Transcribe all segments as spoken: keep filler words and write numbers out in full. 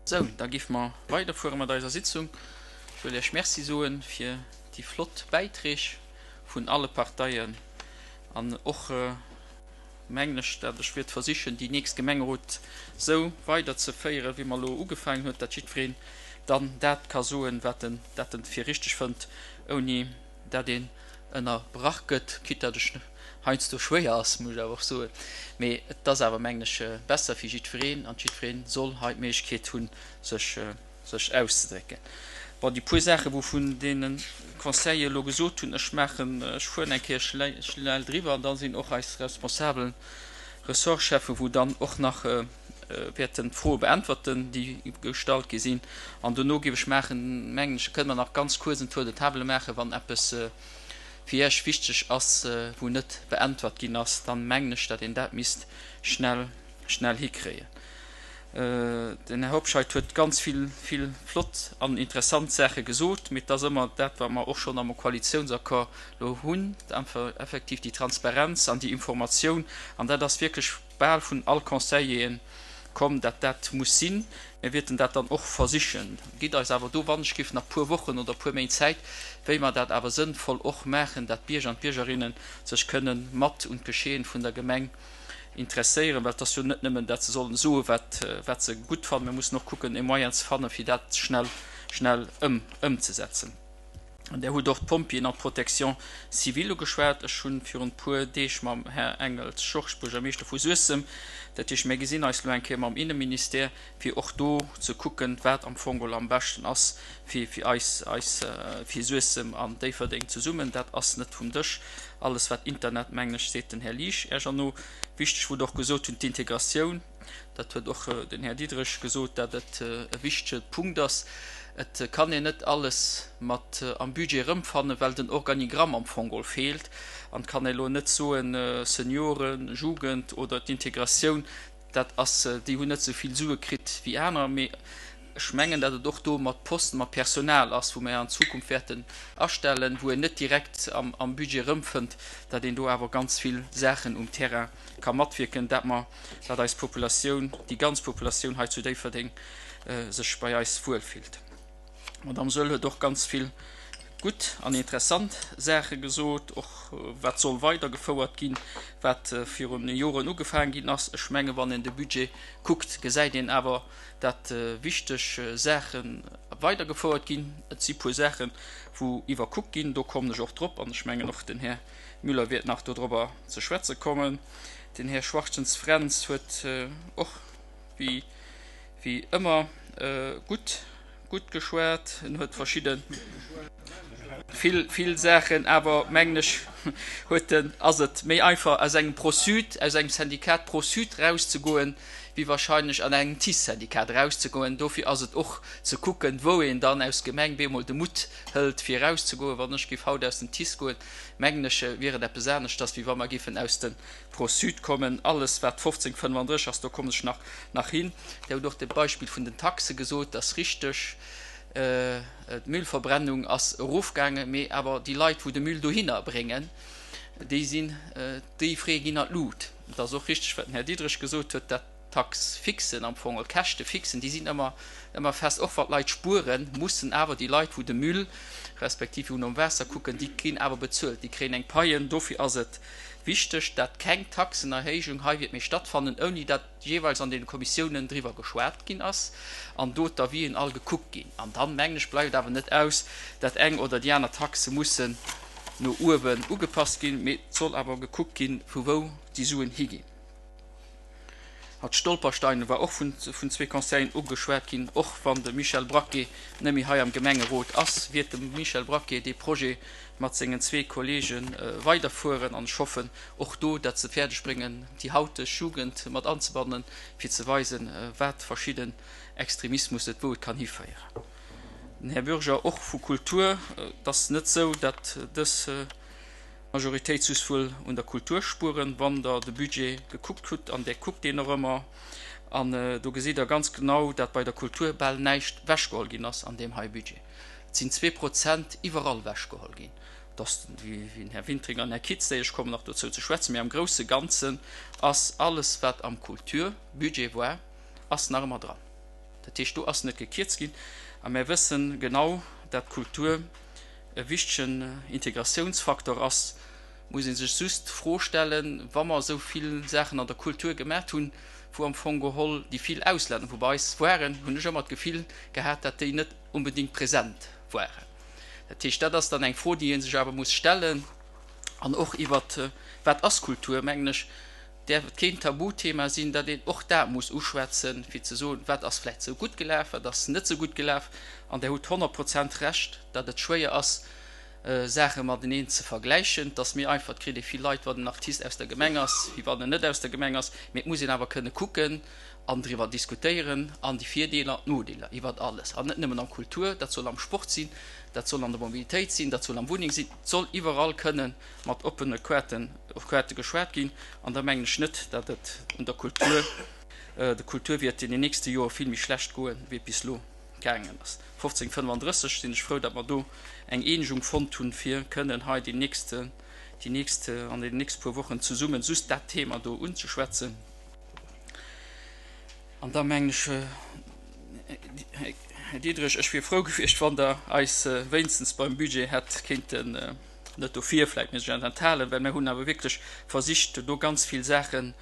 Sou, da géife mer weiderfuere mat eiser Sitzung. Ech wëll Iech Merci soe fir déi flott Bäiträg vun alle Parteien an och, mengen ech, dat ech wäert versichen, déi nächst Gemengerot sou weiderzeféieren, wéi mer elo ugefaangen huet, dat jiddwereen dann dat ka soen, wat en dat en fir richteg fënnt, ouni dat een ënnerbrach gëtt, quitte dat ech heiansdo schwéier ass, muss ech awer och soen, mee et ass awer, mengen ech, besser fir jiddwereen an jiddwereen soll hei d'Méiglechkeet hunn, sech sech auszedrécken. Bon, déi puer Saachen, wou vun deene Conseillere elo gesot hunn, ech maachen, ech fueren eng Kéier schnell driwwer an da sinn och eis responsabel Ressortscheffen, wou dann och nach wäerten d'Froe beäntwerten, déi gestallt gi sinn. An dono géif ech maachen, mengen ech, kënne mer nach ganz kuerz en Tour de table maachen, wann eppes fir Iech wichteg ass, wou net beäntwert ginn ass, dann mengen ech, datt een dat misst schnell, schnell hikréien. Den Här Hobscheit huet ganz vill, vill flott an interessant Saache gesot, mee et ass ëmmer dat, wat mer och schonn am Koalitiounsaccord elo hunn, effektiv déi Transparenz an déi Informatioun. An dat ass wierklech bal vun all Conseilleren komm, dat dat muss sinn. Mir wierten dat dann och versichen. Gitt eis awer do wannechgift nach puer Wochen oder puer Méint Zäit, wéi mer dat awer sënnvoll och maachen, dat d'Bierger an d'Biergerinnen sech kënnen mat un d'Geschehen vun der Gemeng interesséieren, well et ass jo net nëmmen, dat se sollen soen, wat, wat se gutt fannen. Mir mussen och kucken, e Moyen ze fannen, fir dat schnell, schnell ëm, ëmzesetzen. An Där hutt och d'Pompjeeën an d'Protection civile ugeschwat. Ech hu virun e puer Deeg mam Här Engels Georges, Buergermeeschter vu Suessem, dat heescht, mir gesinn eis elo eng Kéier mam Inneministère, fir och do ze kucken, wat am Fong geholl am beschten ass fir fir eis, eis, fir Suessem an Déifferdeng zesummen. Dat ass net vum Dësch. Alles wat Internet, mengen ech, seet den Här Liesch Iech erno. Wichteg, wou Der och gesot hunn, d'Integratioun. Dat huet och den Här Diderich gesot, dat et e wichtege Punkt ass. Et kann een net alles mat am Budget erëmfannen, well den Organigramm am Fong geholl feelt. An et kann ee elo net soen, Senioren, Jugend oder d'Integratioun, dat ass, déi hunn net esou vill Sue kritt wéi aner. Mee ech mengen, datt et och do mat Posten, mat Personal ass, wou mer an Zukunft wäerten astellen, wou een net direkt am Budget erëmfënnt, datt een do awer ganz vill Saachen um Terrain ka matwierken, dat mer, dat eis Populatioun, déi ganz Populatioun hei zu Déifferdeng sech bei eis wuelfillt. D'Madame Soehl huet och ganz vill gutt an interessant Saache gesot, och wat soll weidergefouert ginn, wat virun Joren ugefaangen ginn ass. Ech menge wann een de Budget kuckt, gesäit een awer, dat wichteg Saache weidergefouert ginn. Et si puer Saachen, wou iwwerkuckt ginn, do kommen ech och drop an ech mengen och den Här Müller wäert nach dodrobber ze schwätze kommen. Den Här Schwartens-Fränz huet och wéi wéi ëmmer gutt gutt geschwat. En huet verschidde vill vill Saachen, awer mengen ech huet en ass et méi einfach aus engem Pro-Sud, aus engem Syndikat Pro-Sud rauszegoen, wéi wahrscheinlech an engem TICE-Syndikat erauszegoen. Dofir ass et och ze kucken, wou een dann aus Gemeng bemol de Mutt hëlt fir erauszegoen. Wann ech géif haut aus dem TICE goen, mengen ech, wier et eppes aneschters, wéi wa mer géifen aus dem Pro-Sud kommen. Alles wat fofzéng fënnefandrësseg ass, do kommen ech nach nach hin. Dir hutt och de Beispill vun den Taxe gesot, dat ass richteg. D'Müllverbrennung ass erofgaangen, mee awer déi Leit, wou de Müll dohinner bréngen, déi sinn, déi Frais ginn an d'Lut. Et ass och richteg, wat den Här Diderich gesot huet, dat d'Taxe fixen am Fong, oder d'Käschte fixen, déi sinn ëmmer, ëmmer fest. Och wann d'Leit spueren, mussen awer déi Leit, wou de Müll respektiv wou nom Waasser kucken, déi ginn awer bezuelt, déi kréien eng Paie. Dofir ass et wichteg, dat keng Taxenerhéijung hei wäert méi stattfannen, ouni dat jeeweils an deene Kommissiounen driwwer geschwat ginn ass an do d'Avisen all gekuckt ginn. An dann, mengen ech, bleift awer net aus, dat eng oder déi aner Taxe mussen no uewen ugepasst ginn, mee et soll awer gekuckt ginn, vu wou déi Suen higinn. Hatt Stolpersteine war och vun zwee Conseilleren ugeschwat ginn. Och wann de Michel Braquet net méi hei am Gemengerot ass, wiert de Michel Braquet dee Projet mat sengen zwee Kollege weiderfueren an ech hoffen och do, dat se fäerdeg bréngen, déi hauteg Jugend mat anzebannen, fir ze weisen, wat verschidden Extremismus et wou et kann hiféieren. Den Här Bürger och vu Kultur. Et ass net esou, dat dës Majoritéit soss wuel un der Kultur spueren, wann Der de Budget gekuckt hutt, an Der kuckt deen och ëmmer, an do gesitt Der ganz genau, dat bei der Kultur bal näischt wechgeholl ginn ass an deem hei Budget. Et sinn zwee Prozent iwwerall wechgeholl ginn. Et ass, wéi den Här Wintringer an den Här Kitz, déi ech kommen nach dozou ze schwätzen, mee am grousse Ganzen ass alles, wat am Kulturbudget war, ass nach ëmmer dran. Dat heescht, do ass net gekierzt ginn. A mär wëssen genau, dat Kultur e wichtegen Integratiounsfaktor ass. Muss ee sech just d'Fro stellen, wa mer esou vill Saachen an der Kultur gemaacht hunn, wou am Fong geholl déi vill Auslänner, wou bei eis waren, hunn ech ëmmer d'Gefill gehat, dat déi net onbedéngt present waren. Dat heescht, dat ass dann eng Fro, déi ee sech awer muss stellen. An och iwwert wat ass Kultur, mengen ech, däerf et keen Tabuthema sinn, datt een och dat muss uschwätzen, fir ze soen, wat ass vläicht esou gutt gelaf, wat ass net esou gutt gelaf. An Der hutt honnert Prozent Recht, datt et schwéier ass, Saache mateneen ze vergläichen. Et ass méi einfach, et kritt ee vill Leit, wann en Artist aus der Gemeng ass, wéi wann en net aus der Gemeng ass. Mee et muss een awer kënne kucken an driwwer diskutéieren an déi Virdeeler an d'Nodeeler iwwert alles. An net nëmmen am Kultur, dat soll am Sport sinn, dat soll an der Mobilitéit sinn, dat soll am Wunneng sinn, et soll iwwerall kënne mat oppene Kaarte geschwat ginn. An da mengen ech net, datt et un der Kultur, der Kultur wäert in den nächste Jore vill méi schlecht goen, wéi et bis elo gaangen ass. fofzéng fënnefandrësseg sinn ech frou, datt mer do eng Eenegung fonnt hunn, fir kënnen hei déi nächst, déi nächst, an deenen nächste puer Wochen zesummen just dat Thema do unzeschwätzen. An da mengen ech, Här Diderich, ech wier frou gewiescht, wann Der eis wéinstens beim Budget hätt kéinten, net dofir, vläicht mir sech enthalen, well mir hunn awer wierklech versicht, do ganz vill Saachen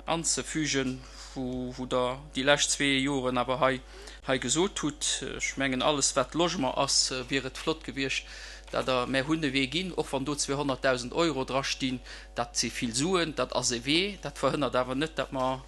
anzefügen, wou Der déi lescht zwee Joren awer hei hei gesot hutt. Ech mengen, alles wat Logement ass, wier et flott gewiescht, dat Der, mär hunn e Wee ginn, och wann do zweehonnertdausend Euro drastinn, dat si vill Suen, dat ass e Wee, dat verhënnert awer net, dat mer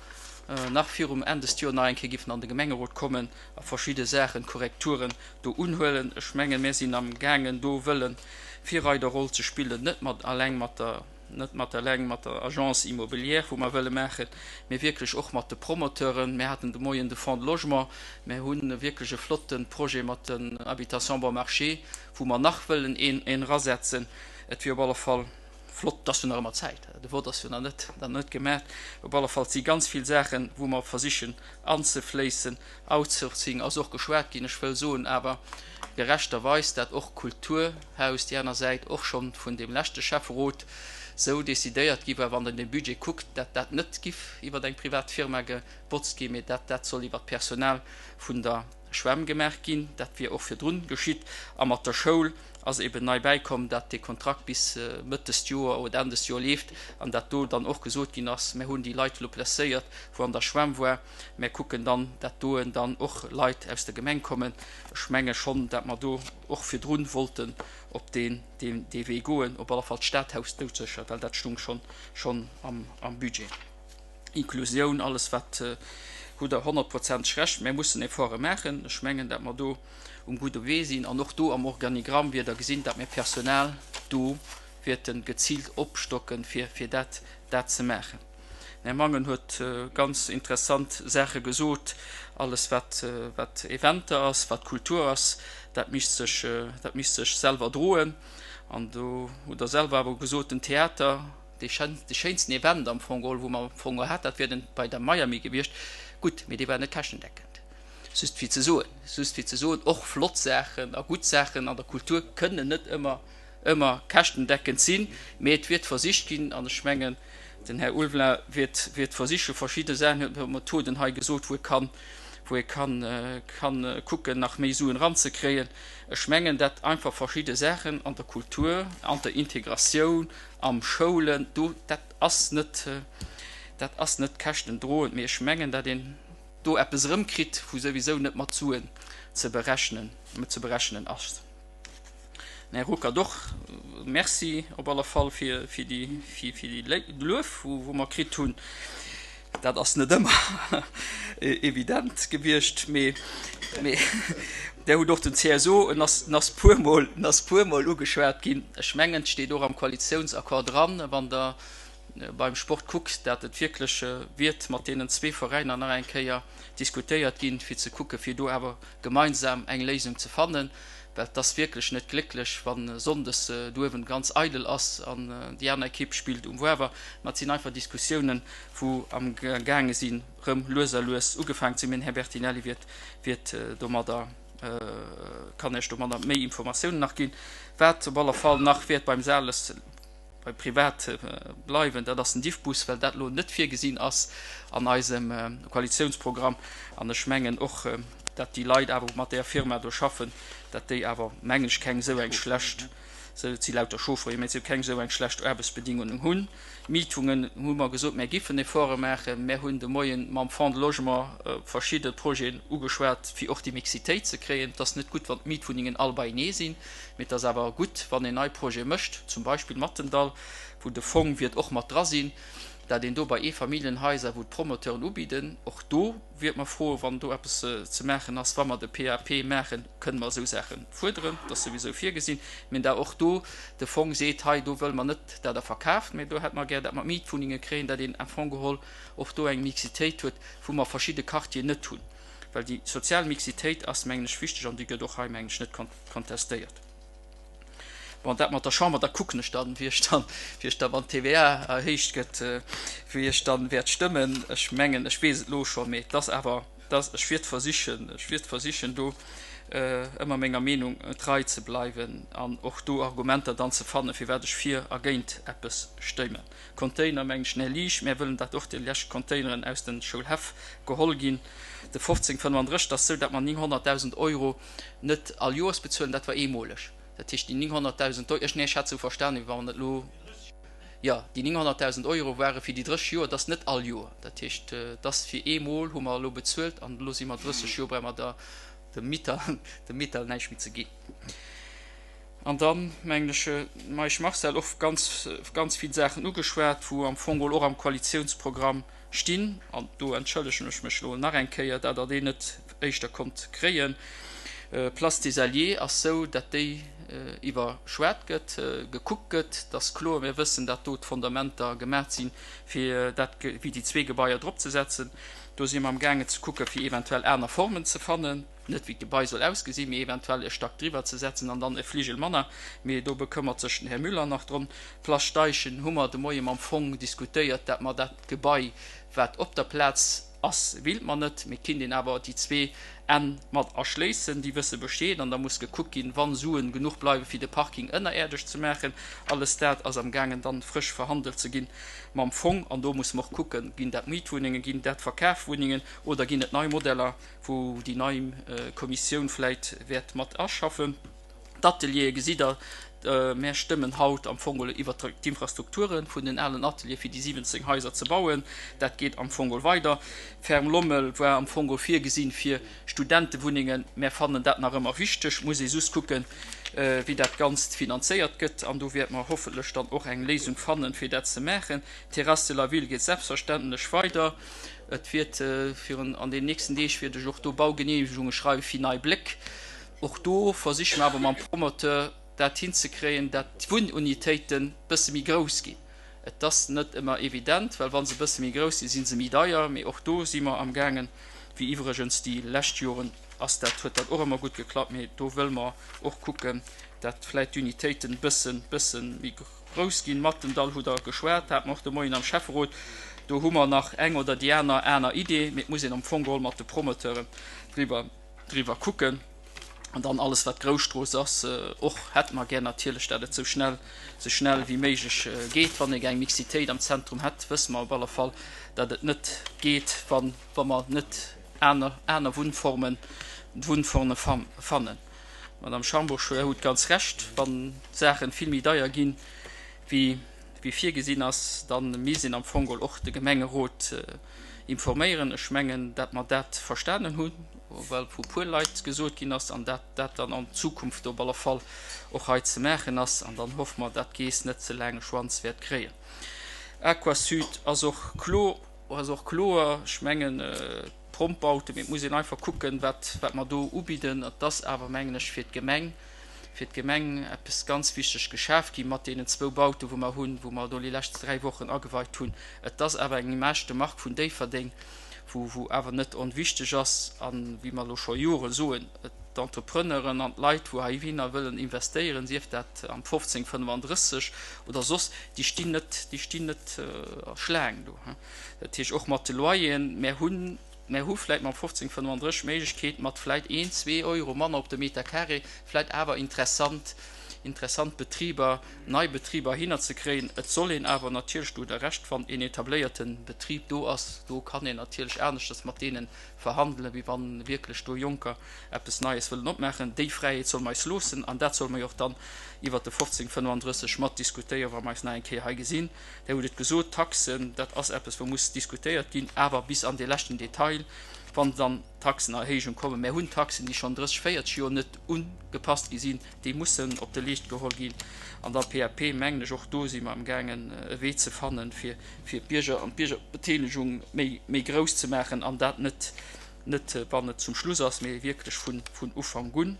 nach virum Enn des Joer nach eng Kéier giffen an de Gemengerot kommen a verschidde Saachen, Korrekturen do unhuelen. Ech mengen, mär sinn amgaangen do wëllen Virreiderroll ze spillen, net mat alleng mat der, net mat eleng mat der Agence immobilière, wou mer wëlle maachen, mee wierklech och mat de Promoteuren. Mir haten de Moien de Fonds de Logement. Mir hu wierklech e flotte Projet mat den Habitations bon marché, wou mer nach wëllen een erasetzen. Et wier op alle Fall flott, et ass jo nach ëmmer Zäit, de Vott ass jo nach net, nach net gemaach. Op alle Fall, et si ganz vill Saachen, wou mer versichen anzefléissen. Outsourcing ass och geschwat ginn. Ech wëll soen awer gerechterweis, dat och d'Kulturhaus, déi aner Säit, och schonn vun deem leschte Schäfferot esou decidéiert gi war, wann Der den Budget kuckt, dat dat net giff iwwer eng privat Firma gebotzt ginn, mee dat dat soll iwwer d'Personal vun der Schwämm gemaach ginn. Dat wier och virdrun geschitt. A mat der Schoul ass eben nei bäikomm, dat dee Kontrakt bis Mëtt dëst Joer oder Enn dëst Joer leeft an dat do dann och gesot ginn ass, Mir hunn déi Leit elo placéiert, wou an der Schwämm war, mär kucken dann, dat doen dann och Leit aus der Gemeng kommen. Ech menge schonn, dat mer do och virdrun wollten op deen dee Wee goen, op alle Fall d'Stadhaus doudsécher, well dat stung schonn schonn am am Budget. Inklusioun, alles wat, hutt Der honnertprozenteg Recht, mär mussen Efforte maachen. Ech mengen, dat mer do um gudde Wee sinn an och do am Organigramm wier Der gesinn, dat mir Personal do wäerte geziilt opstocken, fir fir dat dat ze maachen. Den Här Mangen huet ganz interessant Saache gesot. Alles wat wat Eventer ass, wat Kultur ass, dat misst sech dat misst sech selwer droen. An do hutt Der selwer awer gesot, den Theater, dee dee schéinsten Event am Fong geholl, wou mer am Fong geholl hat, dat wier den bei der Miami gewiescht. Gutt, mee dee war net käschtendeckend. Just fir ze soen, just fir ze soen, och flott Saachen a gutt Saachen an der Kultur kënnen net ëmmer ëmmer käschtendeckend sinn, mee et wiert versicht ginn, an ech mengen, den Här Ulveling wiert wiert versiche verschidde Saachen, huet Methoden hei gesot, wou e kann wou ee kann kann kucken, nach méi Suen eranzekréien. Ech mengen, dat einfach verschidde Saachen an der Kultur, an der Integratioun, am Schoulen, do, dat ass net dat ass net käschtendroend, mee ech mengen, dat een do eppes erëmkritt, wou souwisou net mat Suen ze berechnen ze berechnen ass. Här Ruckert, och Merci op alle Fall fir fir déi fir fir déi Luef, wou wou mer kritt hunn. Dat ass net ëmmer evident gewiescht, mee mee Der hutt och den C S O, en ass en ass puermol en ass puermol ugeschwat ginn. Ech mengen, et steet och am Koalitiounsaccord dran, wann Der beim Sport kuckt, dat et wierklech wiert mat deenen zwee Veräiner nach eng Kéier diskutéiert ginn, fir ze kucken, fir do awer gemeinsam eng Léisung ze fannen, well et ass wierklech net glécklech, wa sonndes douewen ganz eidel ass an déi aner Ekipp spillt um Woawer. Mä et sinn einfach Diskussiounen, wou am gaange sinn, erëm lues a lues ugefaangen ze sinn. Mä den Här Bertinelli wiert, wiert domadder, kann Iech domadder méi Informatiounen nach ginn. Wat op alle Fall nach wäert beim Sales bei privat bleiwen, dat ass den Diffbus, well dat elo net virgesinn ass an eisem Koalitiounsprogramm. An ech mengen och, dat déi Leit awer, wou mat där Firma do schaffen, dat déi awer, mengen ech, keng esou eng schlecht, et si lauter Chauffeuren, mä si keng esou eng schlecht Aarbechtsbedingungen hunn. Mietwunnengen hu mer gesot, mär giffen Efforte maachen. Mär hunn de Moien mam Fonds de Logement verschidde Projeten ugeschwat, fir och déi Mixitéit ze kréien. Et ass net gutt, wann d'Mietwunnengen all beienee sinn, mee et ass awer gutt, wann een nei Projete mécht, zum Beispill Mattendall, wou de Fong wiert och mat dra sinn, dat een do bei Eefamilljenhaiser, wou d'Promoteuren ubidden, och do wiert mer froen, wann do eppes ze maachen ass, wa mer de P A P maachen, kënne mer esou Saache fuerderen, dat ass souwisou virgesinn, mä da och do de Fong seet, hei do wëlle mer net, dat Der verkaaft, mä do hätte mer gär, dat mer Mietwunnenge kréien, dat een am Fong geholl och do eng Mixitéit huet, wou mer verschidde Quartieren net hunn. Well déi sozial Mixitéit ass, mengen ech, wichteg an déi gëtt och hei, mengen ech, net kontestéiert. Bon, dat mat der Chamber, da kucken ech dann, wéi ech dann, wéi ech da wann d'T V A erhéicht gëtt, wéi ech dann wäert stëmmen. Ech mengen, ech weess et elo schonn, mee et ass awer, dass ech wäert versichen, ech wäert versichen do ëmmer menger Meenung trei ze bleiwen an och do Argumenter dann ze fannen, firwat ech fir a géint eppes stëmmen. Container, mengen ech, Här Liesch, mär wëllen, dat och déi lescht Containeren aus den Schoulhäff geholl ginn. De fofzéng fënnefandrësseg ass sou, dat mer nénghonnertdausend Euro net all Joers bezuelen, dat war eemoleg. Dat heescht, déi nénghonnertdausend Euro, ech, nee, ech hat sou verstanen, wéi wann et elo, jo, déi nénghonnertdausend Euro ware fir déi drësseg Joer, dat ass net all Joer. Dat heescht, dat ass fir eemol hu mer elo bezuelt an elo si mer drësseg Joer, brauche mer der dem Mieter, dem Mieter näischt méi ze ginn. An dann, mengen ech, Meisch Marcel och ganz, ganz vill Saachen ugeschwat, wou am Fong och am Koalitiounsprogramm stinn. An do entschëllegen ech mech elo nach eng Kéier, dat Der deen net éischter konnt kréien. Place des Alliés ass sou, dat déi iwwerschwat gëtt, gekuckt gëtt. Dat ass kloer, mir wëssen, dat do d'Fondamenter gemaach sinn, fir dat, wéi déi zwee Gebaier drop ze setzen. Do si mer am gaangen ze kucken, fir eventuell aner Formen ze fannen, net wéi d'Gebai soll ausgesinn, mee eventuell e Stack driwwer ze setzen an dann e Fligel manner. Mee do bekëmmert sech den Här Müller nach drëm. Place Steichen hu mer de Moie mam Fong diskutéiert, dat mer dat Gebai, wat op der Plaz ass, willt mer net, mee kinnt een awer déi zwee Enn mat erschléissen. Déi wësse Bescheed an da muss gekuckt ginn, wann Suen genuch bleiwen, fir de Parking ënnerierdesch ze maachen. Alles dat ass am gaangen dann frësch verhandelt ze ginn mam Fong an do muss mer och kucken, ginn dat Mietwunnengen, ginn dat Verkafwunnengen oder ginn et nei Modeller, wou déi nei Kommissioun vläit wäert mat aschaffen. D'Ateliere gesitt Der, mär stëmmen haut am Fong geholl iwwert d'Infrastrukture vun den alen Ateliere fir déi siwwenzéng Haiser ze bauen. Dat geet am Fong geholl weider. Ferme Lommel war am Fong geholl virgesinn fir Studentewunnengen. Mär fannen dat nach ëmmer wichteg. Muss ee just kucken, wéi dat Ganzt finanzéiert gëtt. An do wäerte mer hoffentlech dann och eng Léisung fannen, fir dat ze maachen. D'Terrasse de la Ville geet selbstverständlech weider. Et wäert virun an den nächsten Deeg wäert ech och do Baugeneemegunge schreiwe fir Nei Bléck. Och do versiche mer awer mam Promoteur dat hinzekréien, dat d'Wunnunitéiten bësse méi grouss ginn. Et ass net ëmmer evident, well wa se bësse méi grouss sinn, si se méi deier. Mee och do si mer am gaangen, wéi iwwregens déi lescht Joren ass dat, huet dat och ëmmer gutt geklappt. Mee do wëlle mer och kucken, dat vläicht d'Unitéiten bëssen, bësse méi grouss ginn. Mattendall hutt Der geschwat, hat mer och de Moien am Schäfferot. Do hu mer nach eng oder déi aner aner Idee, mee et muss een am Fong geholl mat de Promoteuren driwwer, driwwer kucken. An dann alles wat Grousstrooss ass, och hätte mer gär natierlech, dat et sou schnell, sou schnell wéi méiglech geet. Wann ee gär eng Mixitéit am Zentrum hätt, wësse mer op alle Fall, dat et net geet, wann, wa mer net aner, aner Wunnformen, Wunnforme fannen. Madame Schambourg, Der hutt ganz Recht, wann d'Saachen vill méi deier ginn, wéi, wéi virgesinn ass, dann misst een am Fong och de Gemengerot informéieren. Ech mengen, dat mer dat verstanen hunn, well vu puer Leit gesot ginn ass, an dat dat dann an Zukunft op alle Fall och hei ze maachen ass. An dann hoffe mer, dat d'Geess net ze laange Schwanz wäert kréien. Aquasud ass och kloer, ass och kloer. Ech mengen, Prompbauten, mee et muss een einfach kucken, wat, wat mer do ubidden. Et ass awer, mengen ech, fir d'Gemeng, fir d'Gemeng eppes ganz wichteg geschaf gi mat deenen zwou Bauten, wou mer hunn, wou mer do déi lescht dräi Wochen ageweit hunn. Et ass awer eng Image de marque vun Déifferdeng, wou, wou awer net onwichteg ass. An wéi mer elo scho Jore soen, d'Entrepreneuren an d'Leit, wou heihinner wëllen investéieren, sief dat am fofzéng fënnefandrësseg oder soss, déi stinn net, déi stinn net a Schlaang do. Dat heescht och mat de Loyeren, mär hunn, mär hu vläicht mam fofzéng fënnefandrësseg d'Méiglechkeet, mat vläicht een, zwee Euro manner op de Meter carré vläicht awer interessant interessant Betriber, nei Betriber hinner ze kréien. Et soll een awer natierlech, do hutt Der Recht, wann een etabléierte Betrib do ass, do kann een natierlech aneschters mat deene verhandelen, wéi wann wierklech do Jonker eppes Neies wëllen opmaachen. Déi Fräiheet solle mer eis loossen an dat solle mer jo och dann iwwert de fofzéng fënnenddrësseg mat diskutéieren, wa mer eis nach eng Kéier hei gesinn. Där hutt et gesot, d'Taxen, dat ass eppes, wou muss diskutéiert ginn, awer bis an dee leschten Detail, wann dann Taxenerhéijung kommen. Mär hunn Taxen, déi schonn drësseg, véierzeg Joer net ugepasst gi sinn, déi mussen op de Leescht geholl ginn. An da P A P, mengen ech, och do si mer amgaangen e Wee ze fannen, fir fir d'Bierger an d'Biergerbeteelegung méi méi grouss ze maachen, an dat net net wann et zum Schluss ass, mee wierklech vun vun Ufank un.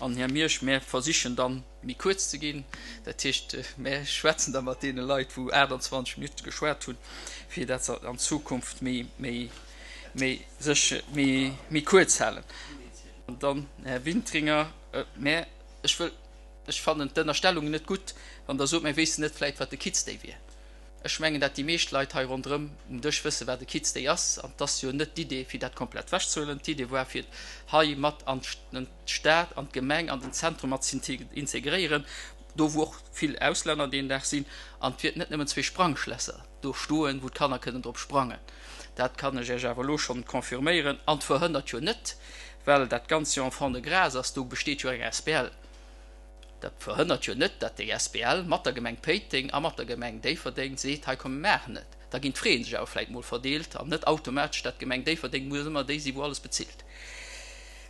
An, Här Miersch, mär versichen dann méi kuerz ze ginn, dat heescht, mär schwätzen da mat deene Leit, wou aachtanzwanzeg Minutte geschwat hunn, fir dat se an Zukunft méi, méi, méi sech méi, méi kuerz halen. An dann, Här Wintringer, mä ech wëll, ech fannen d'Ënnerstellungen net gutt, wann Der sot, mär wéissten net vläicht, wat de Kids Day wier. Ech mengen, dat déi meescht Leit hei ronderëm um Dësch wëssen, wat e Kids Day ass. An et ass jo net d'Idee, fir dat komplett wechzehuelen. D'Idee war, fir et hei mat an d'Stad, an d'Gemeng, an den Zentrum mat ze integréieren, do wou och vill Auslänner deen Dag sinn. An et wiert net nëmmen zwee Sprangschlässer do stoen, wou d'Kanner kënnen drop sprangen. Dat kann ech Iech awer elo schonn confirméieren. An et verhënnert jo net, well dat Ganzt jo en fonds de grâce ass, do besteet jo eng asbl, Dat verhënnert jo net, datt déi asbl mat der Gemeng Péiteng a mat der Gemeng Déifferdeng seet, hei komm mir maachen et. Da ginn d'Fraie sech awer vläicht mol verdeelt an net automatesch, datt d'Gemeng Déifferdeng muss ëmmer déi sinn, wou alles bezilt.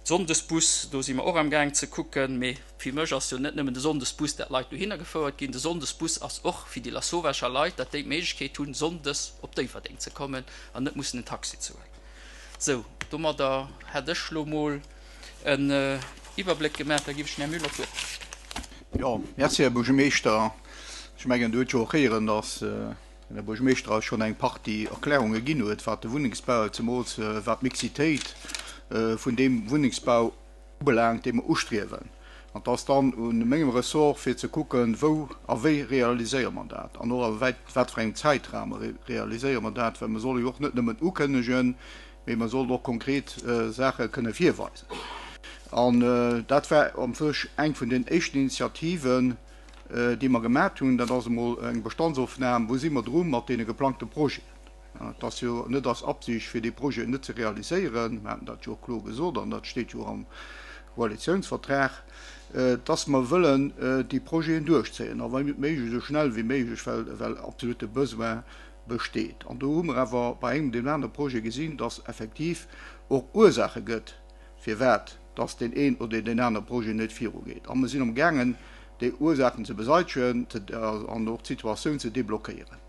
Sonndesbus, do si mer och amgaang ze kucken. Mee fir mech ass jo net nëmmen de Sonndesbus, dat d'Leit dohinner gefouert ginn. De Sonndesbus ass och fir déi Lasauvescher Leit, datt déi d'Méiglechkeet hunn, sonndes op Déifferdeng ze kommen an net mussen en Taxi ze huelen. Sou, domadder hätt ech lo mol en Iwwerbléck gemaach. Da giff ech dem Här Müller d'Wuert. Jo, merci, Här Buergermeeschter. Ech mengen, Der hutt jo och héieren, dass den Här Buergermeeschter eis schonn eng Partie Erklärunge ginn huet, wat de Wunnengsbau, zemools wat d'Mixitéit vun deem Wunnengsbau ubelaangt, dee mer ustriewen. An et ass dann u mengem Ressort, fir ze kucken, wou a wéi realiséiere mer dat an och a wat fir engem Zäitrame realiséiere mer dat, well mer solle jo och net nëmmen ukënnegen, mee mer sollen och konkret Saache kënne virweisen. An dat war am sech eng vun den éischten Initiativen, déi mer gemat hunn. Dat ass emol eng Bestandsofnam, wou si mer dru mat deene geplangte Projeten. Et ass jo net eis Absicht, fir déi Projeten net ze realiséieren. Mer haten dat jo och kloer gesot an dat steet jo och am Koalitionsvertrag, dass mer wëllen déi Projeten duerchzéien a wa méiglech esou schnell wéi méiglech, well well absolute Besoin besteet. An do hu mer awer bei engem deem anere Projet gesinn, dass effektiv och Ursache gëtt, firwat dass deen een oder deen anere Projet net virugeet. A mer sinn amgaangen, déi Ursachen ze beseitegen an och d'Situatioun ze deblockéieren.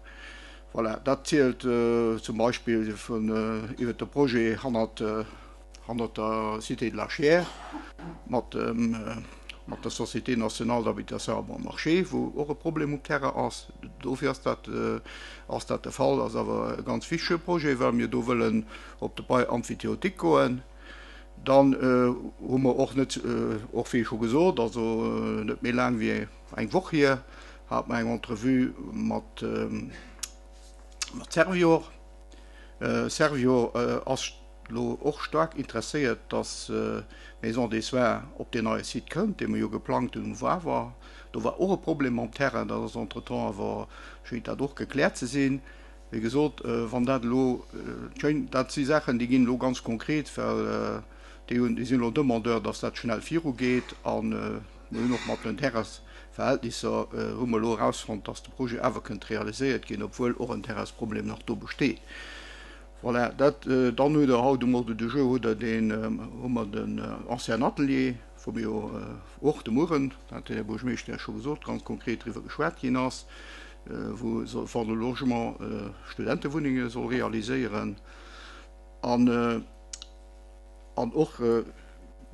Voilà, dat zielt zum Beispill vun iwwert de Projet hannert hannert der Cité de la Chiers mat dem mat der Société nationale d'habitation à bon marché, wou och e Problem um Terrain ass. Dofir ass dat ass dat de Fall. Ass awer e ganz wichtege Projet, well mir do wëllen op de Bail emphytéotique goen. Dann hu mer och net, och wéi scho gesot, also net méi laang wéi eng Woch hier, hat mer eng Entrevue mat mat Servior. Servior ass lo och staark interesséiert, dass d'Maison des Soins op deen neie Site kënnt, dee mer jo geplangt hunn um Wawer. Do war och e Problem mam Terrain, dat ass entretemps awer, schéngt dat och gekläert ze sinn. Wéi gesot, wann dat elo schéin, dat si Saachen, déi ginn elo ganz konkret, well déi hunn, déi sinn elo Demandeur, dass dat schnell virugeet. A mir hunn och mat den Terrainsverhältnisser hu mer elo erausfonnt, dass de Projet awer kënnt realiséiert ginn, obwuel och en Terrainsproblem nach do besteet. Voilà, dat, dann hutt Der haut um Ordre du jour hutt Der deen, hu mer den ancien Atelier, wou mir jo och de Mueren, dat huet den Här Buergermeeschter jo scho gesot, ganz konkret driwwer geschwat ginn ass, wou Fonds de Logement Studentewunnenge soll realiséieren. An, an och,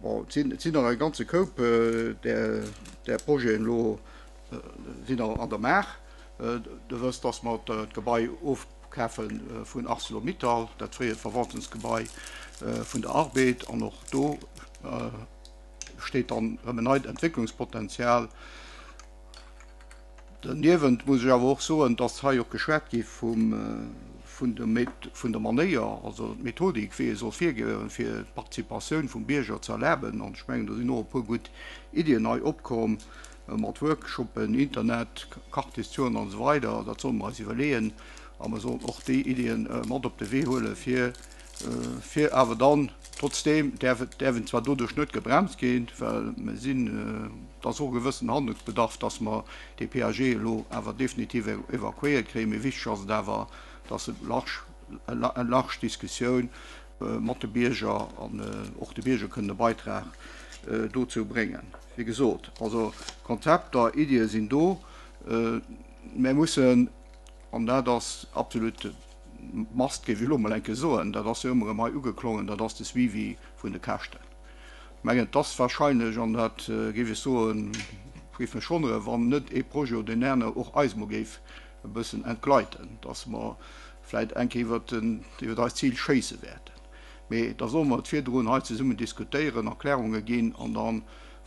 bon, et sinn, et sinn nach e ganze Koup där, där Projeten elo sinn nach an der Maach. Der wësst, dass mer d'Gebai ofkafe vun Arcelor-Mittal, dat fréiert Verwaltungsgebai vun der Arbed. An och do steet dann erëm en neit Entwécklungspotenzial. Doniewent muss ech awer och soen, dass hei och geschwat gi vum, vun der, vun der Manéier, also d'Methodik, wéi ee soll virgoen, fir d'Participatioun vum Bierger ze erlaben. An ech mengen, do sinn och e puer gutt Iddien hei opkomm, mat Workshoppen, Internet, Quartierstouren an esou weider. Dat solle mer eis iwwerleeën a mer sollen och déi Iddien mat op de Wee huelen, fir, fir awer dann trotzdeem däerf et, däerf en zwar doduerch net gebremst ginn, well mer sinn, et ass och e gewëssen Handlungsbedarf, dass mer dee P A G elo awer definitiv evakuéiert kréien. Mee wichteg ass et awer, dass e large, eng large Diskussioun mat de Bierger an och de Bierger kënnen e Beitrag dozou bréngen. Wéi gesot, also Konzepter, Iddie sinn do. Mir mussen, an dat ass absolut must, géif ech elo mol eng Kéier soen, dat ass jo ëmmer erëm hei ugeklongen, dat ass de Suivi vun de Käschten. Ech mengen, et ass wahrscheinlech, an dat géif ech soen, géif mech wonneren, wann net ee Projet oder deen anere och eis mol géif e bëssen entgleiten, dass mer vläicht eng Kéier iwwert den, iwwert eist Zil schéisse wäerten. Mee da solle mer et virdrun hei zesummen diskutéieren, Erklärunge ginn an da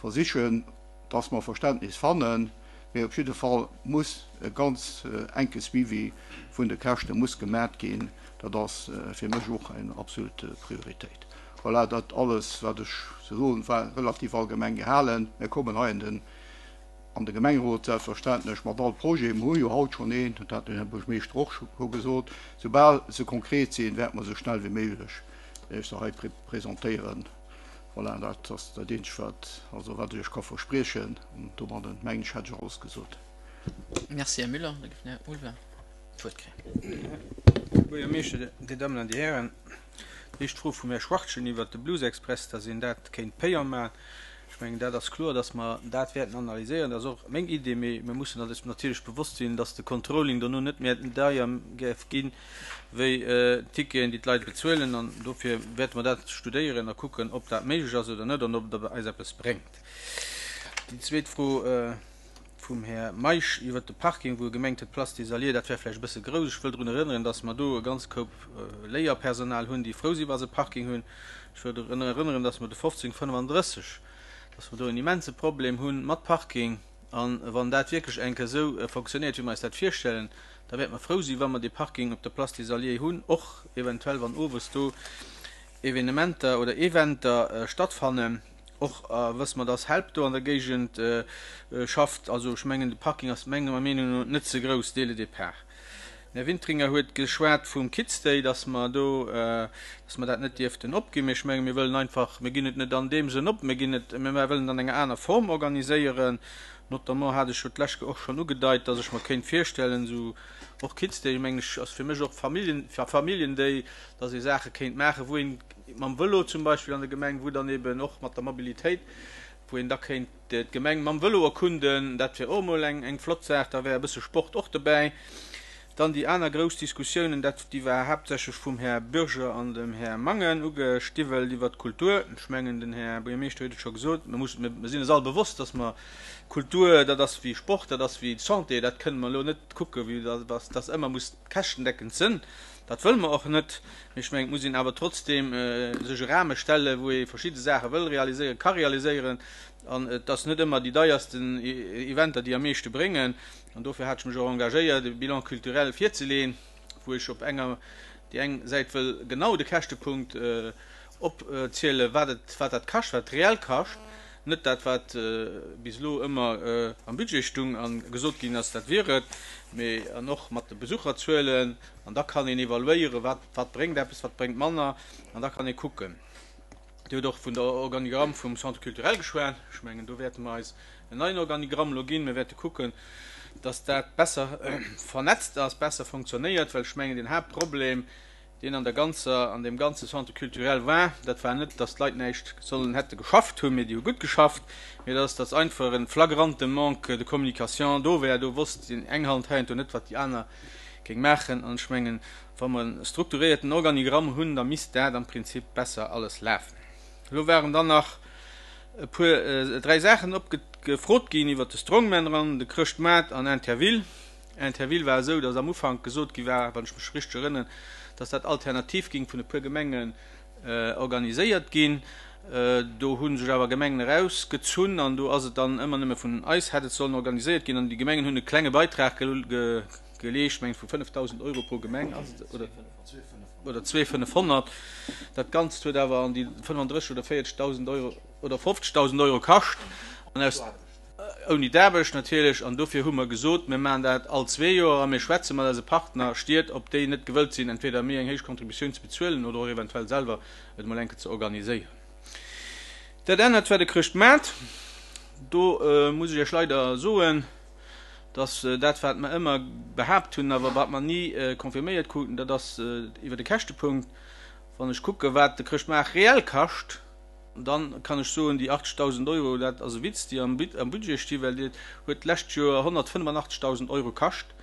versichen, dass mer Verständnis fannen. Mee op jidde Fall muss e ganz enke Suivi vun de Käschte muss gemat ginn. Dat ass fir mech och eng absolut Prioritéit. Voilà, dat alles, wat ech ze soen, war relativ allgemeng gehalen. Mir kommen hei an den an de Gemengerot selbstverständlech mat all Projet. Mir hu jo haut schonn een, dat hat den Här Buergermeeschter och scho gesot. Soubal se konkret sinn, wäerte mer esou schnell wéi méiglech Iech se hei presentéieren. Voilà, dat ass dat Eenzegt, wat, also wat ech Iech ka verspriechen. An domadden, mengen ech, hätt ech alles gesot. Merci, Här Müller. Da géif den Här Ulveling d'Wuert kréien. Här Buergermeeschter, Dir Dammen an Dir Hären, déi éischt Fro vum Här Schwachtgen iwwert de Blues Express, dass een dat kéint payant maachen. Ech mengen, dat ass kloer, dass mer dat wäerten analyséieren. Dat ass och meng Idee, mee mir mussen eis natierlech bewosst sinn, dass de Controlling dono net méi deier géif ginn, wéi d'Ticketen, déi d'Leit bezuelen. An dofir wäerte mer dat studéieren a kucken, ob dat méiglech ass oder net an ob dat eis eppes bréngt. Déi zweet Fro vum Här Meisch iwwert de Parking, wou e gemengt huet, d'Place des Alliés, dat wär vläicht e bësse grouss. Ech wëll drun erënneren, dass mer do e ganz Koup Léierpersonal hunn, déi frou sinn, wa se Parking hunn. Ech wëll drun erënneren, dass mer de fofzéng fënnefandrësseg, dass mer do en immense Problem hunn mat Parking. An wann dat wierklech eng Kéier esou fonctionnéiert, wéi mer eis dat virstellen, da wäerte mer frou sinn, wa mer dee Parking op der Place des Alliés hunn, och eventuell wann owes do Evenementer oder Eventer stattfannen. Och wësse mer, dass Help do an der Géigend schafft. Also ech mengen, de Parking ass menger Meenung no net ze grouss dès le départ. Den Här Wintringer huet geschwat vum Kids Day, dass mer do, dass mer dat net dierften opginn. Mee ech mengen, mir wëllen einfach, mir ginn et net an deem Sënn op, mir ginn et, mir wëllen et an enger aner Form organiséieren. Notamment hat ech jo d'lescht Kéier och schonn ugedeit, dass ech mer kéint virstellen, esou och Kids Day, mengen ech, ass fir mech och Familljen, Familljen Day, dass ee Saache kéint maachen, wou een mam Vëlo zum Beispill an der Gemeng, wou dann eben och mat der Mobilitéit, wou een da kéint d'Gemeng mam Vëlo erkunden, dat wär och emol eng eng flott Saach, da wär e bësse Sport och dobäi. Dann déi aner grouss Diskussiounen, dat déi war haaptsächlech vum Här Bürger an dem Här Mangen ugestiwwelt iwwert d'Kultur. Ech mengen, den Här Buergermeeschter huet et scho gesot, mir mussen, mir sinn eis all bewosst, dass mer Kultur, dat ass wéi Sport, dat ass wéi Santé, dat kënne mer elo net kucke wéi dass dass ëmmer muss käschtendeckend sinn. Dat wëlle mer och net. Mee ech mengen, et muss een awer trotzdeem sech e Rahme stellen, wou ee verschidde Saache wëll realiséieren, ka realiséieren. An et ass net ëmmer déi deiersten Eventer, déi am meeschte bréngen. An dofir hat ech mech och engagéiert, e Bilan culturel virzeleeën, wou ech op enger déi eng Säit wëll genau de Käschtepunkt opzielen, wat et, wat dat kascht, wat et reell kascht, net dat, wat bis elo ëmmer am Budget stung a gesot ginn ass, dat wier et, mee an och mat de Besucherzuelen. An da kann een evaluéieren, wat, wat bréngt eppes, wat bréngt manner, an da kann ee kucken. Dir hutt och vun der Organigramm vum Centre culturel geschwat. Ech mengen, do wäerte mer eis en neien Organigramm elo ginn. Mir wäerte kucken, dass dat besser vernetzt ass, besser funktionéiert, well ech mengen, den Haaptproblem, deen an der ganzer, an deem ganze Centre culturel war, dat war net, dass d'Leit näischt sollen hätte geschafft hunn, mee déi hu gutt geschafft, mee dass dass einfach e flagrante Manque de communication do war. Do wosst déi eng Hand heiansdo net, wat déi aner géing maachen. An ech mengen, wa mer e strukturéierten Organigramm hunn, da misst dat am Prinzip besser alles lafen. Elo waren dann nach e puer, dräi Saachen opgefrot ginn iwwert de Strongman Run, de Chrëschtmaart an Interville. Interville war esou, datt am Ufank gesot gi war, wann ech mech richteg erënneren, datt dat alternativ ging vun e puer Gemengen organiséiert ginn. Do hu sech awer Gemengen erausgezunn an do ass et dann ëmmer nëmme vun eis hätt et sollen organiséiert ginn an déi Gemengen hunn e klenge Beitrag geleescht, meng vu fënnefdausend Euro pro Gemeng ass et, oder, oder zwee fënnefhonnert. Dat Ganzt huet awer an déi fënnefandrësseg oder véierzegdausend Euro oder fofzegdausend Euro kascht, an aus, ouni d'Aarbecht natierlech. An dofir hu mer gesot, mir maachen dat all zwee Joer a mir schwätze mat eise Partnerstied, ob déi net gewëllt sinn, entweder méi eng héich Contributioun ze bezuelen oder och eventuell selwer et emol eng Kéier ze organiséieren. Dat anert war de Chrëschtmaart. Do muss ech Iech leider soen, dass dat, wat mer ëmmer behaapt hunn, awer wat mer ni confirméiert kruten, dat ass iwwer de Käschtepunkt. Wann ech kucke wat de Chrëschtmaart reell kascht, dann kann ech soen, déi achtzegdausend Euro, dat ass e Witz, déi am Budget sti, well déi huet d'lescht Joer honnertfënnefandachtzegdausend Euro kascht.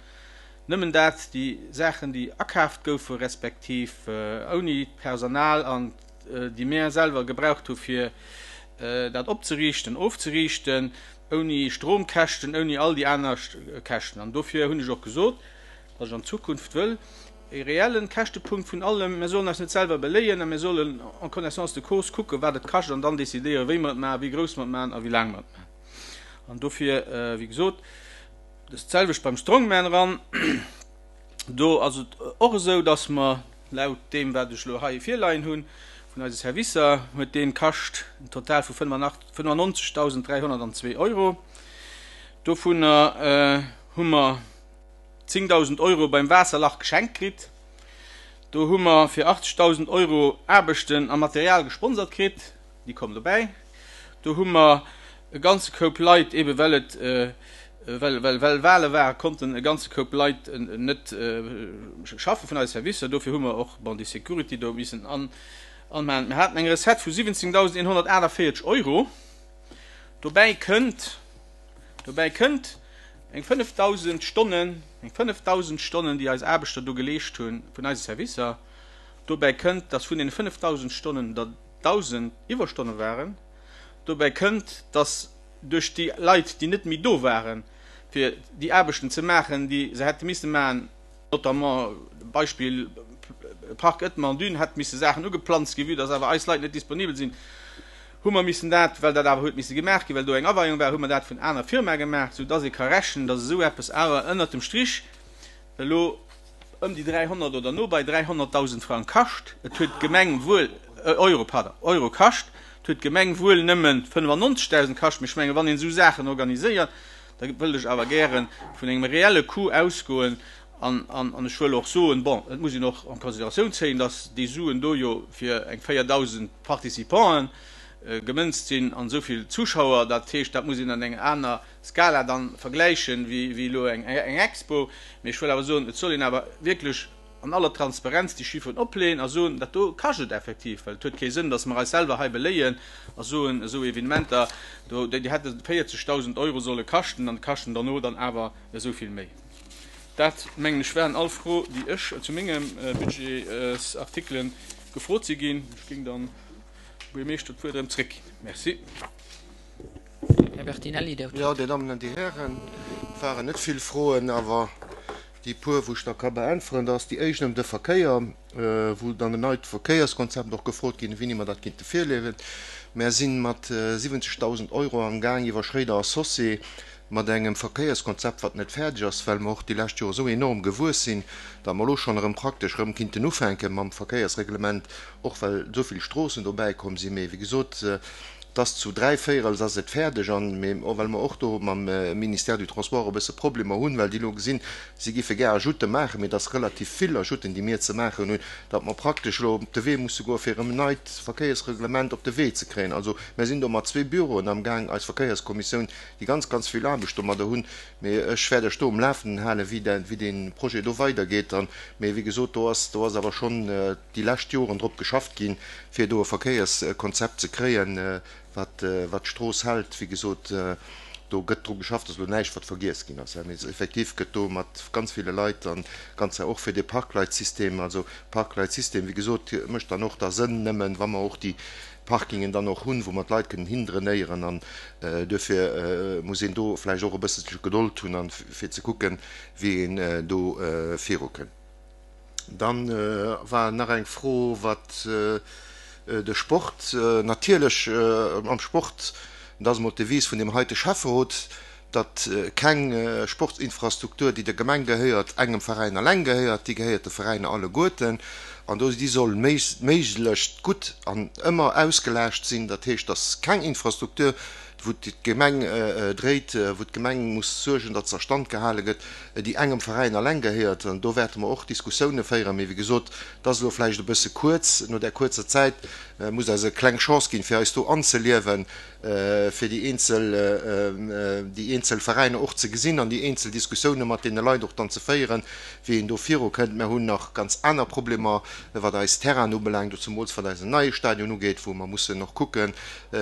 Nëmmen dat, déi Saachen, déi akaaft goufe respektiv ouni d'Personal an déi mir selwer gebraucht hu fir dat opzeriichten, ofzeriichten, ouni Stromkäschten, ouni all déi aner Käschten. An dofir hunn ech och gesot, datt ech an Zukunft wëll e reellen Käschtepunkt vun allem, mir sollen eis net selwer beléien a mir sollen en connaissance de cause kucken, wat et kascht an dann décidéieren, wéi mer et maachen, wéi grouss mer et maachen a wéi laang mer et maachen. An dofir, wéi gesot, dat ass d'selwecht beim Strongman eran. Do ass et och esou, dass mer laut deem, wat ech elo hei virleien hunn, vun eise Servicer, huet dee kascht en Total vu fënnefannonzegdausend dräihonnertandzwee Euro. Dovunner hu mer zéngdausend Euro beim Waasserlach geschenkt kritt. Do hu mer fir achtzegdausend Euro Aarbechten a Material gesponsert kritt, déi kommen dobäi. Do hu mer e ganze Koup Leit, ebe well et well well well Wale waren, konnten e ganze Koup Leit net schaffe vun eise Servicer. Dofir hu mer och, bon, déi Security do missen an anmaachen. Mir haten eng Recette vu siwwenzéngdausendeenhonnertaachtavéierzeg Euro. Dobäi kënnt, dobäi kënnt eng fënnefdausend Stonnen, eng fënnefdausend Stonnen, déi eis Aarbechter do geleescht hunn vun eise Servicer. Dobäi kënnt, dass vun deene fënnefdausend Stonnen der dausend Iwwerstonne waren. Dobäi kënnt, dass duerch déi Leit, déi net méi do waren, fir déi Aarbechten ze maachen, déi se hätte misse maachen, notamment Beispill Park Ëttmer an Dün, hätt misse Saachen ugeplanzt ginn, vue dass awer eis Leit net disponibel sinn, hu mer missen dat, well dat awer huet misse gemaach ginn, well do eng Aweiung war, hu mer dat vun aner Firmae gemaach, soudass ee ka rechnen, dass esou eppes awer ënnert dem Strich elo ëm déi dräihonnert oder no bei dräihonnertdausend Frang kascht. Et huet d'Gemeng wuel, Euro, pardon, Euro kascht. Et huet d'Gemeng wuel nëmme fënnefannonzegdausend kascht, mee ech mengen, wann een esou Saachen organiséiert, da wëllt ech awer gäre vun engem reelle Coût ausgoen. An, an, an ech wëll och soen, bon, et muss een och en Consideratioun zéien, dass déi Suen do jo fir eng véierdausend Participanten gemënzt sinn an esou vill Zuschauer. Dat heescht, dat muss een an enger aner Skala dann vergläichen, wéi, wéi elo eng, eng Expo. Mee ech wëll awer soen, et soll een awer wierklech an aller Transparenz déi Chifferen opleeën a soen, dat do kascht et effektiv, well et huet kee Sënn, dass mer eis selwer hei beléien a soen, esou Evenementer do, déi hätte véierzegdausend Euro solle kaschten an kaschten derno dann awer esou vill méi. Dat, mengen ech, waren all Fro, déi ech zu mengem Budgetsartikelen gefrot si ginn. Ech géing dann dem Buergermeeschter d'Wuert erëm zréckginn. Merci. Här Bertinelli, Dir hutt Jo, d'Wuert. Dir Dammen an Dir Hären, et waren net vill Froen, awer déi puer, wou ech da ka beäntweren, dat ass déi éischt ëm de Verkéier, wou dann en neit Verkéierskonzept och gefrot ginn, wéini mer dat kinnte virleeën. Mär si mat siwwenzegdausend Euro am Gaang iwwer Schréider a Saucé mat engem Verkéierskonzept, wat net fäerdeg ass, well mer och déi lescht Joer esou enorm gewuess sinn, datt mer elo schonn erëm praktesch erëm kinnten ufänke mam Verkéiersreglement, och well esou vill Stroossen dobäi komm sinn. Mee wéi gesot, et ass zu dräi Véirels ass et fäerdeg an, mee well mer och do mam Ministère du Transport e bësse Problemer hunn, well déi elo gesinn, si géife gär Ajoute maachen, mee et ass relativ vill Ajouten, déi mir ze maachen hunn, datt mer praktesch elo op de Wee musse goe fir erëm en neit Verkéiersreglement op de Wee ze kréien. Also mir sinn do mat zwee Büroen amgaang, eis Verkéierskommissioun, déi ganz, ganz vill Aarbecht domadder hunn. Mee ech wäert Iech do um Lafenden halen, wéi de, wéi dee Projet do weidergeet. An, mee wéi gesot, do ass, do ass awer schonn déi lescht Joren drop geschafft ginn, fir do e Verkéierskonzept ze kréien, wat, wat d'Strooss hält. Wéi gesot, do gëtt dru geschafft, ass elo näischt, wat vergiess ginn ass. Mee effektiv gëtt do mat ganz ville Leit an ganz och fir dee Parkleitsystem, also Parkleitsystem, wéi gesot, mécht dann och da Sënn nëmmen, wa mer och déi Parkingen dann och hunn, wou mer d'Leit kënnen hindrainéieren. An duerfir muss een do vläicht och e bësselche Gedold hunn, an fir ze kucken, wéi een do virukënn. Dann war nach eng Fro, wat de Sport, natierlech am Sport, dat ass emol d'Devise vun deem heite Schäfferot, datt keng Sportsinfrastruktur, déi der Gemeng gehéiert, engem Veräin alleng gehéiert, déi gehéiert de Veräiner alleguerten an do déi soll méiglechst gutt an ëmmer ausgelaascht sinn. Dat heescht, datt keng Infrastruktur, wou d'Gemeng dréit, wou d'Gemeng muss suergen, datt se a Stand gehale gëtt, déi engem Veräin alleng gehéiert. An do wäerte mer och Diskussioune féieren. Mee wéi gesot, et ass elo vläicht e bësse kuerz. No där kuerzer Zäit muss eis e kleng Chance ginn, fir eis do anzeliewen, fir déi eenzel, déi eenzel Veräiner och ze gesinn an déi eenzel Diskussioune mat deene Leit och dann ze féieren, wéi een do virukënnt. Mer hunn nach ganz aner Problemer, wat eis Terrainen ubelaangt, zemools wat eisen neie Stadion ugeet, wou mer mussen och kucke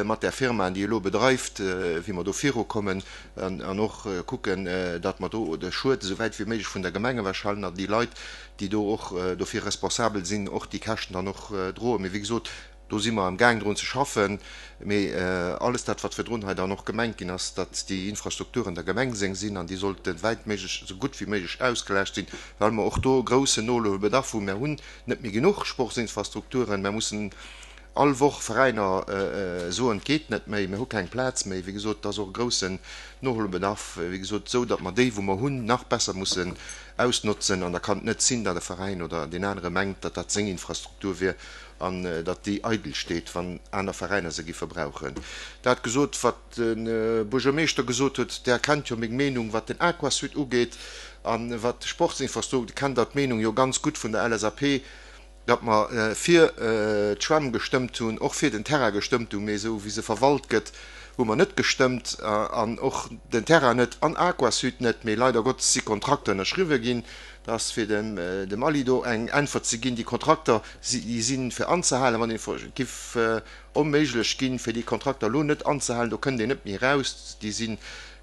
mat där Firma, déi elo bedreift, wéi mer do virukommen an och kucken, datt mer do de Schued esou wäit wéi méiglech vun der Gemeng ewechhalen an déi Leit, déi do och dofir responsabel sinn, och déi Käschten dann och droen. Mee wéi gesot, do si mer amgaang drun ze schaffen. Mee alles dat, wat virdrun hei dann och gemengt ginn ass, datt déi Infrastrukturen der Gemeng seng sinn an déi sollte wäit méiglech, esou gutt wéi méiglech ausgelaascht sinn, well mer och do e groussen Nohuelbedarf hunn. Mer hunn net méi genuch Sportsinfrastrukturen. Mer mussen all Woch Veräiner soen, et geet net méi, mir hu keng Plaz méi. Wéi gesot, et ass och e groussen Nohuelbedarf, wéi gesot, esou datt mer déi, wou mer hunn, nach besser mussen ausnotzen. An da kann et net sinn, datt e Veräin oder deen anere mengt, datt dat seng Infrastruktur wier an datt déi eidel steet, wann aner Veräiner se giffe brauchen. Dat gesot, wat de Buergermeeschter gesot huet, Der kennt jo meng Meenung, wat den Aquasud ugeet a wat d'Sportsinfrastruktur, kennt Der d'Meenung jo ganz gutt vun der L S A P, datt mer fir d'Schwämm gestëmmt hunn, och fir den Terrain gestëmmt hunn, mee esou wéi se verwalt gëtt, hu mer net gestëmmt an och den Terrain net an Aquasud net. Mee leider Gottes si Kontrakter ënnerschriwwe ginn. Dat ass fir dem dem Aly do eng Äntwert ze ginn, déi Kontrakter, déi si fir anzehalen. Wann ee giff onméiglech ginn, fir déi Kontrakter elo net anzehalen, do kënnt een net méi eraus. Déi si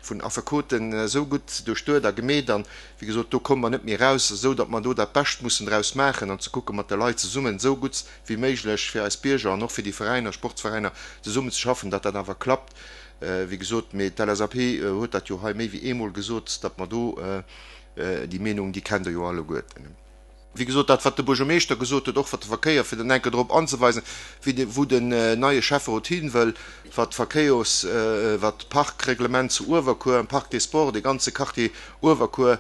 vun Affekoten esou gutt duerchduet a gemeet an, wéi gesot, do komme mer net méi eraus, esou datt mer do dat Bescht mussen draus maachen an ze kucke mat de Leit zesummen, esou gutt wéi méiglech fir eis Bierger an och fir déi Veräiner, Sportsveräiner zesummen ze schaffen, datt dat awer klappt, wéi gesot. Mee d'L S A P huet dat jo hei méi wéi eemol gesot, datt mer do déi Meenung, déi kennt Der jo alleguerten. Wéi gesot, dat wat de Buergermeeschter gesot huet, och wat de Verkéier, fir dann eng Kéier drop anzeweisen, wéi de, wou den neie Schäfferot hin wëll, wat d'Verkéiers, wat d'Parkreglement zu Uewerkuer, am Parc des Sports, dee ganze Quartier Uewerkuer,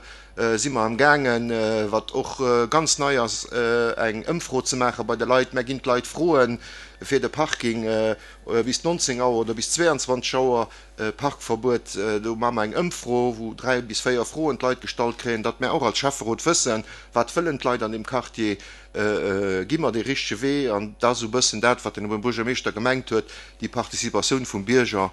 si mer amgaangen, wat och ganz nei ass, eng Ëmfro ze maache bei de Leit. Mer ginn d'Leit froen, fir de Parking bis nonzéng Auer oder bis zweeanzwanzeg Auer, Parkverbuet. Do maache mer eng Ëmfro, wou dräi bis véier Froen d'Leit gestallt kréien, datt mär och als Schäfferot wëssen, wat wëllen d'Leit an deem Quartier, gi mer dee richtege Wee. An dat ass esou e bëssen dat, wat den Här Buergermeeschter gemengt huet, déi Participatioun vum Bierger,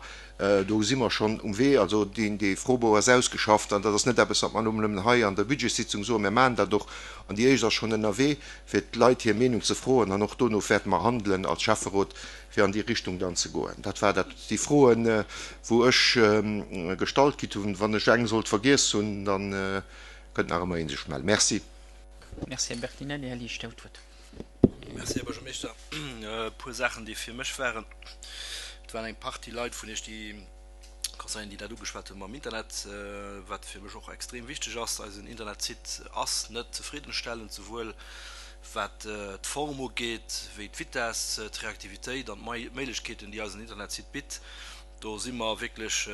do si mer schonn um Wee. Also deen, dee Froebou ass ausgeschafft an dat ass net eppes, wat mer nëmmen hei an der Budgetssitzung soen, mir maachen dat och. An déi éischt ass schonn ënnerwee, fir d'Leit hir Meenung ze froen an och dono wäerte mer handelen als Schäfferot, fir an déi Richtung dann ze goen. Dat war dat, déi Froen, wou ech gestallt kritt hunn. Wann ech eng sollt vergiess hunn, da kënnt nach ëmmer ee sech mellen. Merci. Merci, Här Bertinelli. Här Liesch, Dir hutt d'Wuert. Merci, Här Buergermeeschter. E puer Saachen, déi fir mech waren. Et waren eng Partie Leit vun Iech, déi Conseilleren, déi dat ugeschwat hunn mam Internet, wat fir mech och extrem wichteg ass. Eisen Internetsite ass net zefriddenstellend, souwuel wat d'Form ugeet, wéi d'Vitesse, d'Reaktivitéit an d'Méiglechkeeten, déi eisen Internetsite bitt. Do si mer wierklech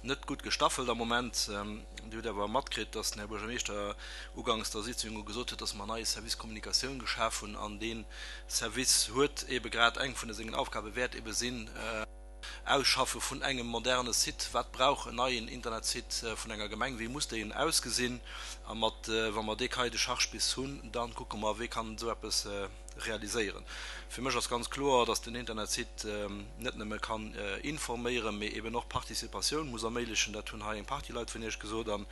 net gutt gestaffelt am Moment. Dir hutt awer matkritt, dass den Här Buergermeeschter ugangs der Sitzung gesot huet, dass mer en neie Service Kommunikatioun geschaf hunn an dee Service huet eebe grad eng vun sengen Aufgabe wäert eebe sinn, Ausschaffe vun engem moderne Site. Wat brauch en neien Internetsite vun enger Gemeng? Wéi muss deen ausgesinn? A mat, wa mer dee Cahier de charges bis hunn, da kucke mer, wéi kann esou eppes realiséieren. Fir mech ass ganz kloer, dass den Internetsite net nëmme kann informéieren, mee eben och Participatioun muss erméiglechen. Dat hunn hei eng Partie Leit vun Iech gesot. An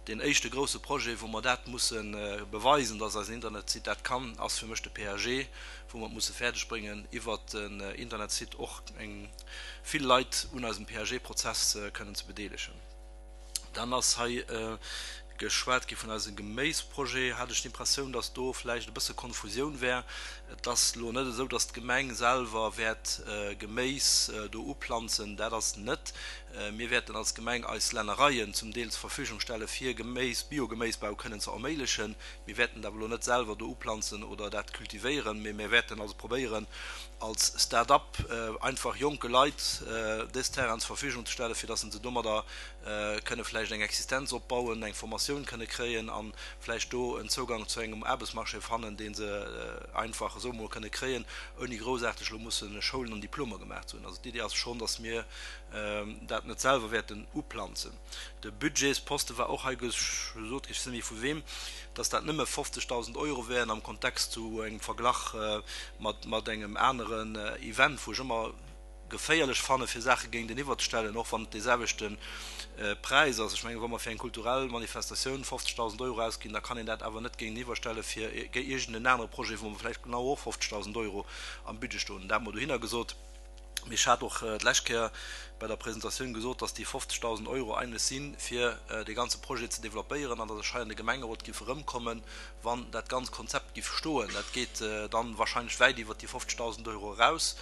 deen éischte grouse Projet, wou mer dat musse beweisen, dass eisen Internetsite dat kann, ass fir mech de P A G, wou mer et musse fäerdeg bréngen, iwwert den Internetsite och eng vill Leit un eisem P A G-Prozess kënnen ze bedeelegen. Dann ass hei geschwat gi vun eisem Geméisprojet, hat ech d'Impressioun, dass do vläicht e bësse Konfusioun wär. Et ass elo net esou, dass d'Gemeng selwer wäert Geméis do uplanzen, dat ass net. Mir wäerten als Gemeng eis Lännereien zum Deel zur Verfügung stelle fir Geméis, Biogeméisbau kënnen ze erméiglechen. Mir wäerten dat awer elo net selwer do uplanzen oder dat kultivéieren, mee mir wäerten also probéieren als Start-up einfach jonke Leit dës Terrainen zur Verfügung ze stellen, fir dass se domadder kënne vläicht eng Existenz opbauen, eng Formatioun kënne kréien a vläicht do en Zougang zu engem Aarbechtsmarché fannen, dee se einfach esou emol kënne kréien, ouni groussaarteg elo musse Schoulen an Diplomer gemaach ze hunn. Also d'Idee ass schonn, dass mir dat net selwer wäerten uplanzen. De Budgetsposte war och hei gesot ginn, ech weess net méi vu weem, dass dat nëmme fofzegdausend Euro wären am Kontext zu engem Verglach mat engem aneren Event, wou ech ëmmer geféierlech fanne fir Saache géinteniwwer ze stellen, och wann et dee selwechte Präis ass. Ech mengen, wa mer fir eng kulturell Manifestatioun fofzegdausend Euro ausginn, da kann een dat awer net géinteniwwer stelle fir iergend en anere Projet, wou mer vläicht genau och fofzegdausend Euro am Budget stoen hunn. Dat emol dohinner gesot. Mee ech hat och d'lescht Kéier bei der Presentatioun gesot, dass déi fofzegdausend Euro eigentlech si fir dee ganze Projet ze developpéieren an dass ech hei an de Gemengerot giff erëmkommen, wann dat ganz Konzept giff stoen. Dat geet dann wahrscheinlech wäit iwwert déi fofzegdausend Euro eraus,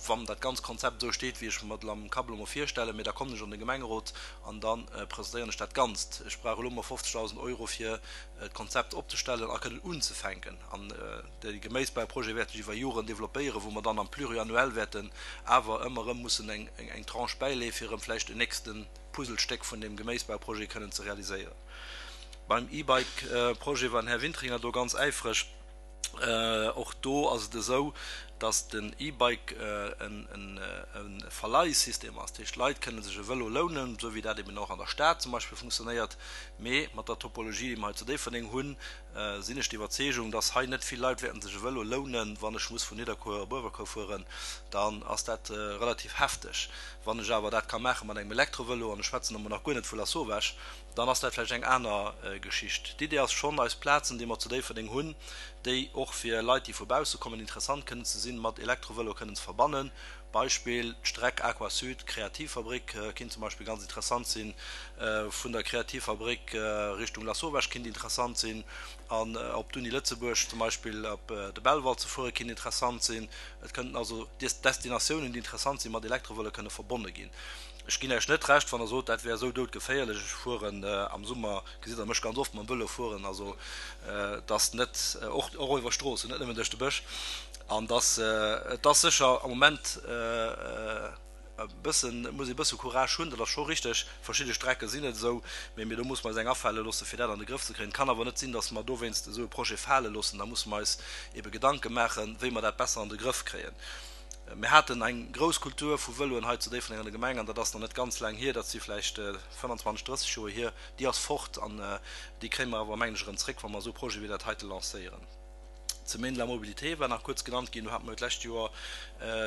wann dat ganz Konzept esou steet, wéi ech mer et am Kapp elo mol virstellen. Mee da kommen ech an de Gemengerot an da presentéieren ech dat Ganzt. Ech brauch elo mol fofzegdausend Euro fir d'Konzept opzestellen a kënnen unzefänken. An de Geméisbauprojet wäert sech iwwer Joren developpéieren, wou mer dann am Pluriannuel wäerten awer ëmmer erëm mussen eng Tranche bäileeë fir erëm vläicht en nächste Puzzlestéck vun deem Geméisbauprojet kënnen ze realiséieren. Beim E-Bike-Projet war den Här Wintringer do ganz äifreg. Och do ass et esou, dass den E-Bike e Verleihsystem ass. Dat heescht, d'Leit kënne sech e Vëlo lounen, esou wéi dat eben och an der Stad zum Beispill funktionéiert. Mee mat der Topologie, déi mer hei zu Déifferdeng hunn, sinn ech der Iwwerzeegung, dass hei net vill Leit wäerten sech e Vëlo lounen. Wann ech muss vun Nidderkuer op Uewerkuer fueren, dann ass dat relativ hefteg. Wann ech awer dat ka maache mat engem Elektrovëlo, an ech schwätzen emol nach guer net vu Lasauvage, dann ass dat vläicht eng aner Geschicht. D'Idee ass schonn, eis Plazen, déi mer zu Déifferdeng hunn, déi och fir Leit, déi vu bausse kommen, interessant kënnen ze sinn, mat Elektrovëlo kënnen ze verbannen. Beispill, d'Streck Aqua Sud, Kreativfabrik kinnt zum Beispill ganz interessant sinn, vun der Kreativfabrik Richtung Lasauvage kinnt interessant sinn, an op d'Uni Lëtzebuerg zum Beispill op de Belval ze fuere kinnt interessant sinn. Et kënnten also Destinatiounen, déi interessant sinn, mat Elektrovëlo kënne verbonne ginn. Ech ginn Iech net Recht, wann Der sot, dat wär esou doudgeféierlech. Ech fueren am Summer, gesitt Der mech ganz oft mam Vëlo fueren, also et ass net, och och iwwer Stroossen, net nëmmen duerch de Bësch. An dass, et ass sécher am Moment e bëssen, et muss ee e bësse Courage hunn, dat ass scho richteg. Verschidde Strecke sinn et esou, mee mir do musse mer eis eng afale loosse fir dat an de Grëff ze kréien. Et kann awer net sinn, dass mer dowéinst esou e Projet fale loossen. Da musse mer eis ebe Gedanke maachen, wéi mer dat besser an de Grëff kréien. Mir haten eng grouss Kultur vu Vëloen hei zu Déifferdeng an der Gemeng, an dat ass nach net ganz laang hier, dat si vläicht fënnanzwanzeg, drësseg Joer hier. Déi ass fort an déi kréie mer awer, mengen ech, erëm zréck, wa mer esou Projete wéi dat heite lancéieren. D'Semaine de la mobilité war nach kuerz genannt ginn. Do hate mer jo d'lescht Joer,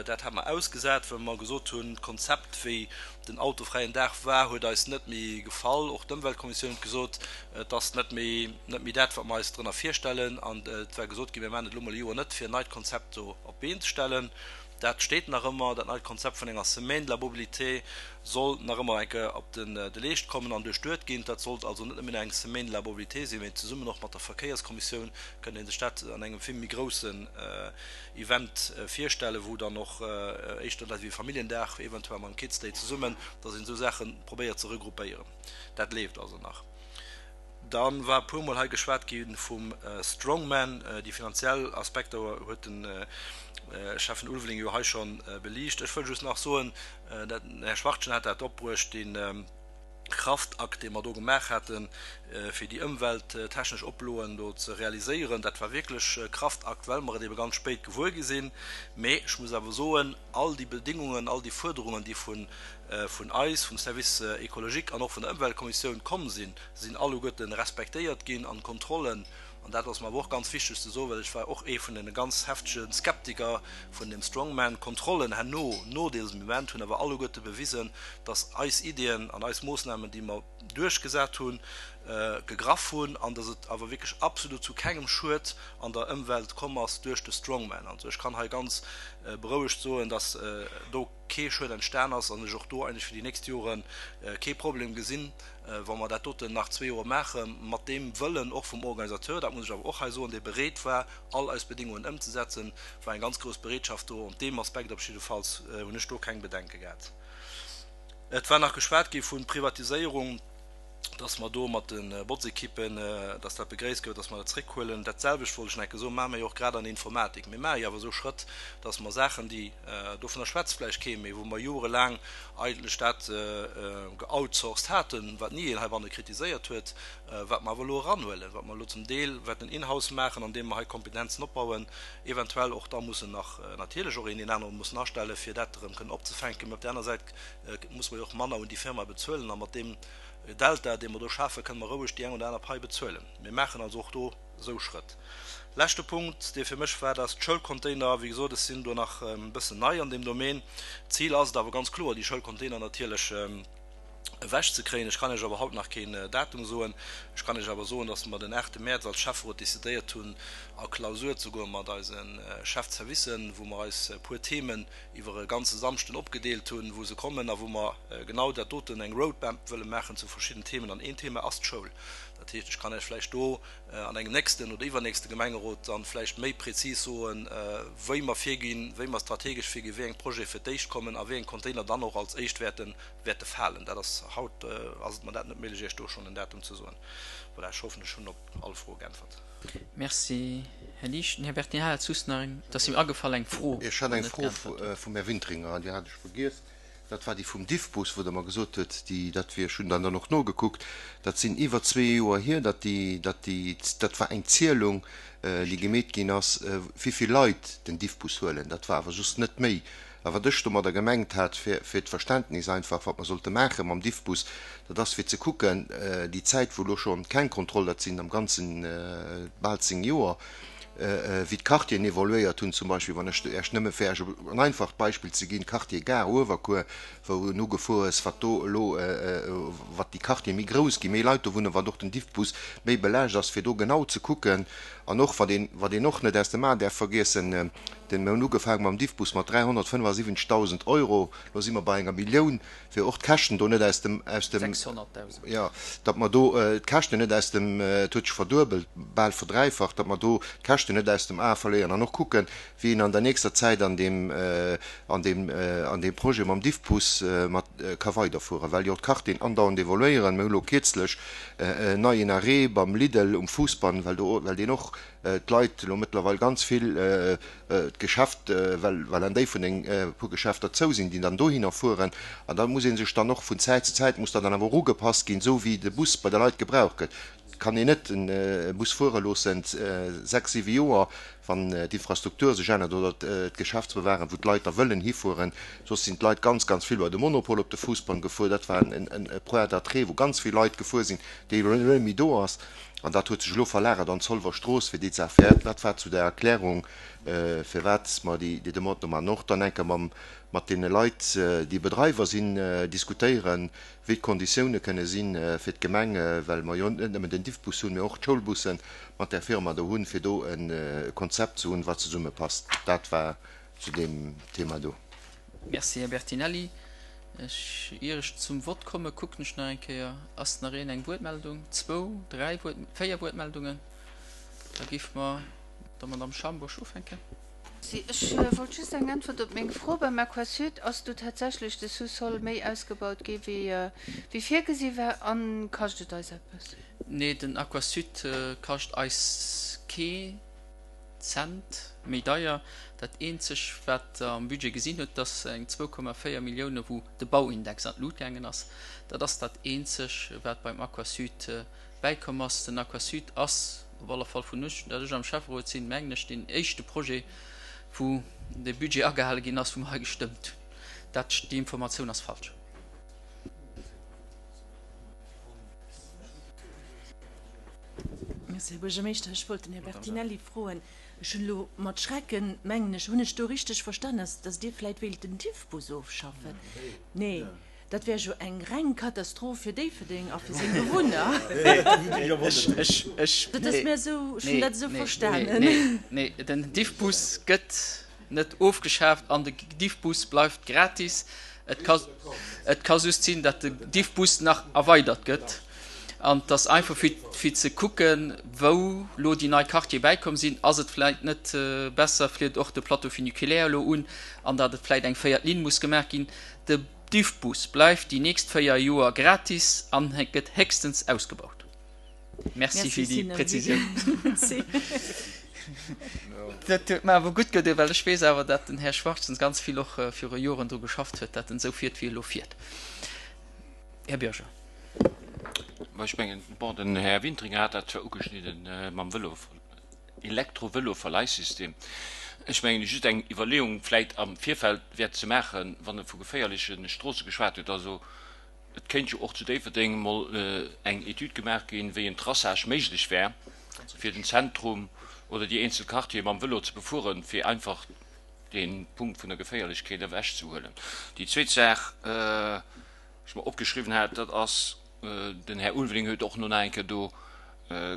dat hate mer ausgesat, well mer gesot hunn, d'Konzept, wéi den autofräien Dag war, huet eis net méi gefall. Och d'Ëmweltkommissioun huet gesot, et ass net méi, net méi dat, wat mer eis drënner virstellen. An et war gesot ginn, mir maachen et elo mol e Joer net, fir en neit Konzept do op d'Been ze stellen. Dat steet nach ëmmer. Dat neit Konzept vun enger Semaine de la mobilité soll nach ëmmer eng Kéier op den de Leescht kommen an duerchduet ginn. Dat sollt also net nëmmen eng Semaine de la mobilité sinn, mee zesummen och mat der Verkéierskommissioun kënnt ee sech dat an engem vill méi groussen Event virstellen, wou dann och éischter dat wéi e Familljendag, eventuell mam Kids Day zesummen, dass een esou Saache probéiert ze regroupéieren. Dat leeft also nach. Da war e puermol hei geschwat gi vum Strongman. Déi finanziell Aspekter huet de Schäffen Ulveling jo hei scho beliicht. Ech wëll just nach soen, den Här Schwachtgen hat dat opbruecht, dee Kraftakt, dee mer do gemaach haten, fir déi ëmwelttechnesch Oploen do ze realiséieren, dat war wierklech e Kraftakt, well mer et ebe ganz spéit gewuer gi sinn. Mee ech muss awer soen, all déi Bedingungen, all déi Fuerderungen, déi vun vun eis, vum Service écologique an och vun der Ëmweltkommissioun komm sinn, sinn alleguerten respektéiert ginn an d'Kontrollen, an dat ass mer awer och ganz wichteg ze soen, well ech war och ee vun den ganz heftege Skeptiker vun dem Strongman, d'Kontrollen herno, no dësem Event, hunn awer alleguerte bewisen, dass eis Iddien an eis Moossnamen, déi mer duerchgesat hunn, gegraff hunn an dass et awer wierklech absolut zu kengem Schued an der Ëmwelt komm ass duerch de Strongman. Also ech kann hei ganz berouegt soen, dass do kee Schued entstan ass an ech och do eigentlech fir déi nächst Jore kee Problem gesinn, wa mer dat doten nach zwee Joer maache mat deem Wëllen och vum Organisateur, dat muss ech awer och hei soen, dee bereet war, all eis Bedingungen ëmzesetzen, war eng ganz grouss Bereetschaft do. Op deem Aspekt op jiddefalls hunn ech do keng Bedenke gehat. Et war nach geschwat gi vu Privatiséierung, dass mer do mat de Botzekippen, dass dat begréisst gouf, dass mer dat zréckhuelen. Dat selwecht wollt ech nach eng Kéier soen, maache mer jo och grad an der Informatik. Mir maache jo awer esou Schrëtt, dass mer Saachen, déi, dovunner schwätzt vläicht kee méi, wou mer jorelaang eigentlech dat geoutsourced haten, wat ni een heibanne kritiséiert huet, wat mer awer elo eranhuelen, wat mer elo zum Deel wäerten in-house maachen, andeem mer hei Kompetenzen opbauen, eventuell och da mussen nach natierlech och een deen anere mussen astellen, fir dat erëm kënnen opzefänken. Mä op där aner Säit muss mer jo och manner un déi Firma bezuelen a mat deem Delta, dee mer do schafen, kënne mer roueg déi eng oder aner Pai bezuelen. Mir maachen also och do esou Schrëtt. Leschte Punkt, dee fir mech war, dat ass d'Schoulcontainer. Wéi gesot, ech sinn do nach e bëssen nei an deem Domaine. D'Zil ass et awer ganz kloer, déi Schoulcontainer natierlech ewechzekréien. Ech kann Iech awer haut nach keen Datum soen. Ech kann Iech awer soen, dass mer den aachte Mäerz als Schäfferot decidéiert hunn, a Klausur ze goe mat eise Chef-de-servicen, wou mer eis e puer Themen iwwer e ganze Samschden opgedeelt hunn, wou se kommen a wou mer genau dat doten, eng Roadmap wëlle maachen zu verschidden Themen. An een Thema ass d'Schoul. Dat heescht, ech kann Iech vläicht do an engem nächsten oder iwwernächste Gemengerot dann vläicht méi prezis soen, wéi mer virginn, wéi mer strategesch virginn, wéi eng Projete fir d'éischt kommen a wéi eng Container dann och als éischt wäerten, wäerte falen. Dat ass, haut ass et mer dat net méiglech, Iech do schonn en Datum ze soen. Voilà, ech hoffen, ech hunn op all Froe geäntwert. Merci, Här Liesch. Den Här Bertinelli hat just nach eng, et ass him agefall, eng Fro, Ech hat déi eng net Fro geäntwert huet. vum Här Wintringer, an déi hat ech vergiess. Dat war déi vum Diffbus, wou Der mer gesot hutt, déi, dat wier, ech hunn dann dann och nogekuckt, dat sinn iwwer zwee Joer hier, datt déi, datt déi, dat war eng Zielung, déi gemeet ginn ass, wéi vill Leit den Diffbus huelen. Dat war awer just net méi. A wat ech domadder gemengt hat, fir, fir d'Verständnis einfach, wat mer sollte maache mam Diffbus, dat ass fir ze kucken, déi Zäit, wou elo scho keng Kontroll, dat sinn am Ganzen bal zéng Joer, wéi d'Quartieren evoluéiert hunn, zum Beispill, wann ech Iech nëmme fir Iech en einfacht Beispill ze ginn, Quartier Gare Uewerkuer, wou en ugefuer ass, wat do elo, wat déi Quartiere méi grouss ginn, méi Leit do wunnen, wat och den Diffbus méi belaascht ass, fir do genau ze kucken. An och, wat een, wat een och net aus dem A däerf vergiessen, den, mir hunn ugefaange mam Diffbus mat dräihonnertfënnefasiwwenzegdausend Euro, elo si mer bei enger Millioun, fir och d'Käschten do net aus dem, aus dem, Sechshonnertdausend. jo, datt mer do d'Käschten net aus dem, et huet sech verduebelt, bal verdräifacht, datt mer do d'Käschten net aus dem A verléieren an och kucken, wéi een an der nächster Zäit an deem, an deem, an deem Projet mam Diffbus mat ka weiderfueren, well jo d'Quartieren andauernd evoluéieren. Mir hu lo kierzlech en neien Arrêt beim Lidl um Fousbann, well do, well deen och d'Leit elo mëttlerweil ganz vill d'Geschäft, well, well an Déifferdeng e puer Geschäfter zou sinn, déi dann dohinner fueren. An da muss ee sech dann och vun Zäit zu Zäit muss da dann awer och ugepasst ginn, esou wéi de Bus bei de Leit gebraucht gëtt. Et kann een net e Bus fuere loossen sechs, siwe Joer, wann d'Infrastruktur sech ännert oder d'Geschäftsbewaren, wou d'Leit da wëllen hifueren. Soss sinn d'Leit ganz, ganz vill bei de Monopol op de Fousbann gefuer. Dat war e Point d'attrait, wou ganz vill Leit gefuer sinn, dee elo net méi do ass. An dat huet sech elo verlagert an d'Zolwer Strooss, fir déi Saach. Dat war zu der Erklärung, firwat mer déi Demande do maachen. Och dann enke mat deene Leit, déi Bedreiwer sinn, diskutéieren, wéi d'Konditioune kënne sinn fir d'Gemeng, well mer jo net nëmmen den Diffbus hunn, mee och d'Schoulbusse mat där Firma do hunn, fir do e Konzept ze hunn, wat zesummepasst. Dat war zu deem Thema do. Merci, Här Bertinelli. Ech, ier ech zum Vott komme, kucken ech nach eng Kéier, Ass nach een eng Wuertmeldung? Zwou, dräi Wuert, véier Wuertmeldungen. Da géife mer mat der Madamm Schambourg ufänken. Merci. Ech wollt just eng Äntwert op meng Fro. Beim Aquasud, ass do tatsächlech de Sous-sol méi ausgebaut gi wéi virgesi war a kascht et eis eppes? Nee, den Aquasud kascht eis kee Cent méi deier. Dat eenzeg, wat Der am Budget gesinn hutt, dat ass eng zwou Komma véier Millioune wou de Bauindex an d'Lut gaangen ass. Dat ass dat eenzeg, wat beim Aquasud bäikomm ass. Den Aquasud ass op alle Fall vun ech, dat ech am Schäfferot sinn, mengen ech, deen éischte Projet, wou de Budget agehale ginn ass, wou mer hei gestëmmt hunn. Dat, déi Informatioun ass falsch. Merci, Här Buergermeeschter. Ech wollt den Här Bertinelli froen, ech hunn elo mat Schrecken, mengen ech, hunn ech do richteg verstanen, dass, dass Dir vläicht wéilt den Diffbus ofschaffen? Nee. Dat wär jo eng reng Katastroph fir Déifferdeng a fir seng Bewunner. Dat ass mir esou, ech hunn dat esou verstanen. Nee, nee, den Diffbus gëtt net ofgeschaaft an de Diffbus bleift gratis. Et ka, et ka just sinn, datt de Diffbus nach erweidert gëtt. An et ass einfach fir, fir ze kucken, wou lo déi nei Quartiere bäikomm sinn. Ass et vläicht net besser, fliet och de Plateau funiculaire elo un, an datt et vläicht eng véiert Linn muss gemaach ginn. De Diffbus bleift déi nächst véier Joer gratis an gëtt héchstens ausgebaut. Merci fir déi Präzisioun. Dat huet mer awer gutt gedoen, well ech weess awer, datt den Här Schwarzens ganz vill och viru Joren dru geschafft huet, datt en esou fiert, wéi e elo fiert. Här Bürger. Ma ech mengen, bon, den Här Wintringer hat dat zwar ugeschnidden mam Vëlo, Elektrovëloverleihsystem. Ech mengen, just eng Iwwerleeung vläit am Virfeld wäert ze maachen, wann e vu geféierleche Stroosse geschwat huet. Also et kéint jo och zu Déifferdeng emol eng Etüd gemaach ginn, wéi en Traçage méiglech wär, fir den Zentrum oder déi eenzel Quartiere mam Vëlo ze befueren, fir einfach dee Punkt vun der Geféierlechkeet ewechzehuelen. Déi zweet Saach, déi ech mer opgeschriwwen hat, dat ass, den Här Ulveling huet och no nach eng Kéier do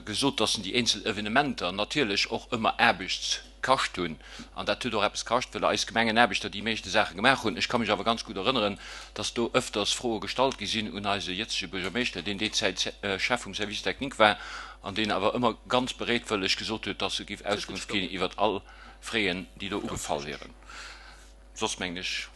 gesot, dass déi eenzel Evenementer natierlech och ëmmer Aarbecht kascht hunn. An dat huet och eppes kascht, well eis Gemengenaarbechter déi meeschte Saache gemaach hunn. Ech ka mech awer ganz gutt erënneren, dass do ëfters Froe gestallt gi sinn un eise jëtzege Buergermeeschter, deen déi Zäit Chef vum Service technique war an deen awer ëmmer ganz bereetwëlleg gesot huet, dass e géif Auskunft ginn iwwert all Fräen, déi do ugefall wieren. Soss mengen ech,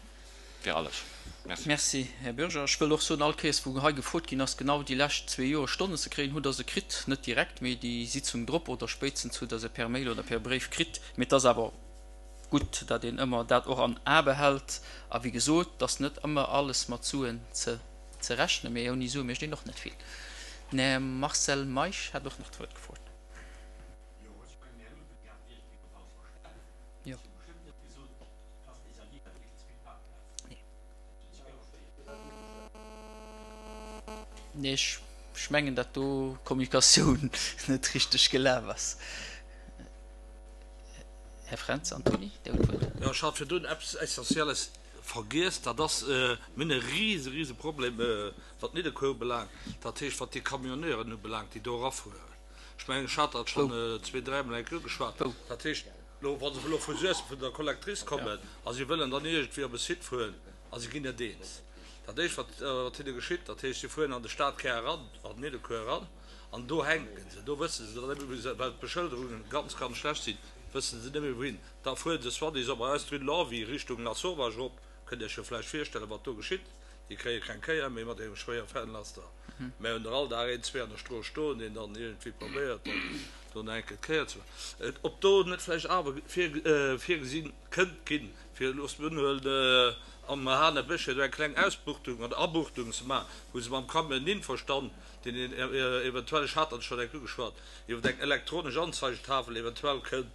wär alles. Merci. Merci, Här Bürger. Ech wëll och soen, all Kéiers, wou hei gefrot ginn ass, genau déi lescht zwee Joer Stonnen ze kréien, hutt Der se kritt. Net direkt, mee déi Sitzung drop oder spéitstens hutt Der se per Mail oder per Bréif kritt. Mee et ass awer gutt, datt een ëmmer dat och am A behält. A wéi gesot, et ass net ëmmer alles mat Suen ze ze rechnen, mee ouni Sue mécht een och net vill. Den Här Marcel Meisch hat och nach d'Wuert gefrot. Jo. Nee, ech, ech mengen, datt do d'Kommunikatioun net richteg gelaf ass. Här Fränz Antony, Dir hutt d'Wuert. Jo, ech hat virdrun eppes Essentielles vergiess. Dat ass, mir hunn e rise, rise Problem, wat Nidderkuer ubelaangt, dat heescht, wat déi Camionneuren ubelaangt, déi do erafueren. Ech mengen, ech hat dat schonn zwee, dräimol eng Kéier ugeschwat. Dat heescht, elo, wa se elo vu Suessem, vun der Collectrice kommen a si wëllen dann iergendwéi op e Site fueren a si ginn net eens, dat Éischt, wat, wat hinne geschitt, dat heescht, si fueren an de Stadkär eran, an Nidderkuer eran, an do hänke se, do wësse se dann net méi, wou se, well d'Beschëlderungen ganz, ganz schlecht sinn, wësse se net méi wouhin. Da fuere se soi-disant bei eis d'Rue de Lorvy Richtung Lasauvage erop, kënnt Iech jo vläicht virstellen, wat do geschitt, déi kréie keng Kéier méi mat engem schwéiere Fernlaster. Mär hunn der all Dag een, zwee an der Strooss stoen, deen dann iergendwéi probéiert, dann do nach eng Kéier d'Kéier ze maachen. Ob do net vläicht awer virgesi kënnt ginn, fir, looss mir unhuelen, am Hanebécher do eng kleng Ausbuchtung oder Abuchtung ze maachen, wou se mam Camion den Infostand, deen een eventuell, ech hat dat schonn eng Kéier ugeschwat, iwwer eng elektronesch Anzeigetafel eventuell kënnt,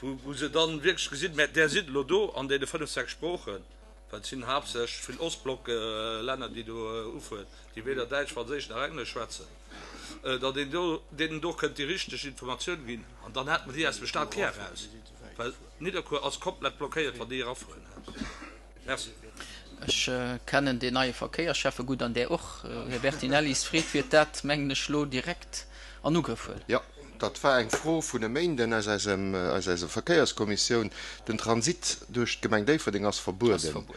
wou se dann wierklech gesinn, mä där sinn elo do an deene fënnef, sechs Sproochen, well et sinn haaptsächlech vill Ostblock-Länner, déi do ufueren, déi weder Däitsch, Franséisch nach Englesch schwätzen, datt een do deenen do kënnt déi richteg Informatioun ginn an dann hätte mer déi aus dem Stadkär eraus, well Nidderkuer ass komplett blockéiert, wann déi erafueren. Merci. Ech kennen deen neie Verkéiersschäffe gutt an där och. Här Bertinelli, s Freet wiert dat, mengen ech, elo direkt an Ugrëff huelen. Jo, dat war eng Fro vun e Méinden aus eisem, aus eiser Verkéierskommissioun. Den Transit duerch d'Gemeng Déifferdeng ass verbueden.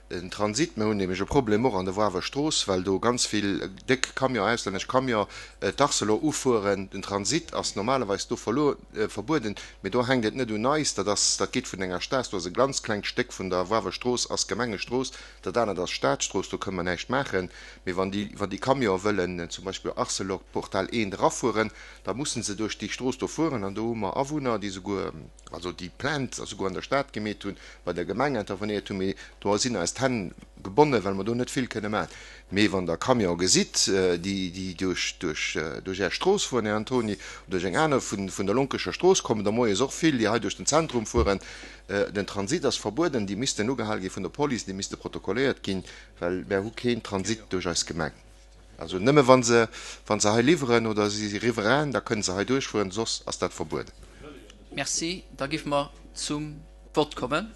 Den Transit, mir hunn nämlech e Problem och an der Woarwer Strooss, well do ganz vill déck Camion, auslännesch Camion, d'Arcelor ufueren. Den Transit ass normalerweis do verluer, verbueden, mee do hänkt et net un eis, dat ass, dat geet vun enger Staass, do ass e ganz klengt Stéck vun der Woarwer Strooss ass Gemengestrooss, dat anert ass Staatsstrooss, do kënne mer näischt maachen. Mee wann déi, wann déi Camionë wëllen zum Beispill Arcelor Portal eent erafueren, da mussen se duerch déi Strooss do fueren an do hu mer Awunner, déi souguer, also déi Plainte souguer an der Stad gemeet hunn, bei der Gemeng intervenéiert hunn, mee do sinn eis d'Hänn gebonnen, well mer do net vill kënne maachen. Mee wann Der Camione gesitt, déi, déi duerch, duerch, duerch Är Strooss fueren, Här Antony, oder duerch eng aner vun, vun der Lonkecher Strooss kommen der moies och vill, déi hei duerch den Zentrum fueren, den Transit ass verbueden, déi missten ugehal gi vun der Police, déi misste protokolléiert ginn, well mär hu keen Transit duerch eis Gemeng. Also nëmme wa se, wa se hei liwweren oder si si Riverain, da kënne se hei duerchfueren, soss ass dat verbueden. Merci. Da géife mer zum Vott kommen.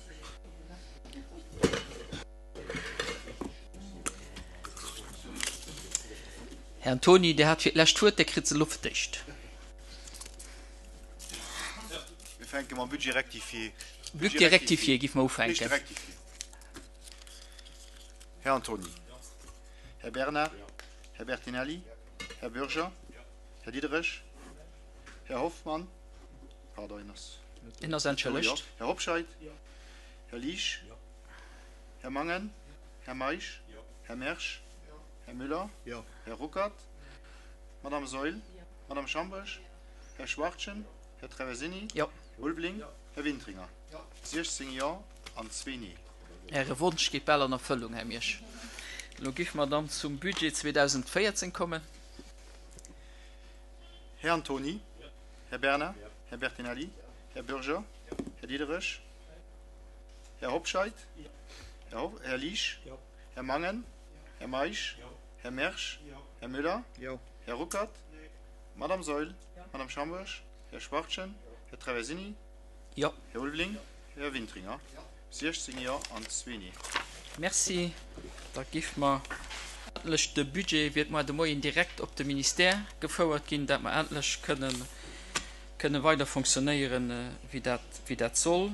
Här Antony, Dir hat fir d'lescht d'Wuert, Dir kritt se elo fir d'éischt. Mir fänke mam Budget rectifié. Budget rectifié géife mer ufänken. Här Antony. Här Bernard. Här Bertinelli. Här Bürger. Här Diderich. Här Hoffmann. Pardon, en ass. En ass entschëllegt. Här Hobscheit. Här Liesch. Här Mangen. Här Meisch. Här Mersch. Här Müller. Här Ruckert. Madame Saeul. Madame Schambourg. Här Schwachtgen. Här Traversini. Här Ulveling. Här Wintringer. Siechzéng Jo an zwee Nee. Äre Wonsch geet bal an Erfëllung, Här Miersch. Elo géife mer dann zum Budget zweedausendvéierzéng kommen. Här Antony. Här Bernard. Här Bertinelli. Här Bürger. Här Diderich. Här Hobscheit. Här Liesch. Här Mangen. Här Meisch. Här Mersch. Här Müller. Här Ruckert. Madame Saeul. Madame Schambourg. Här Schwachtgen. Här Traversini. Här Ulveling. Här Wintringer. Siechzéng Jo an zwee Nee. Merci. Da géife mer endlech de Budget, wéi et muer de Moien direkt op de Ministère gefouert ginn, dat mer endlech kënnen kënne weider fonctionnéieren, wéi dat wéi dat soll.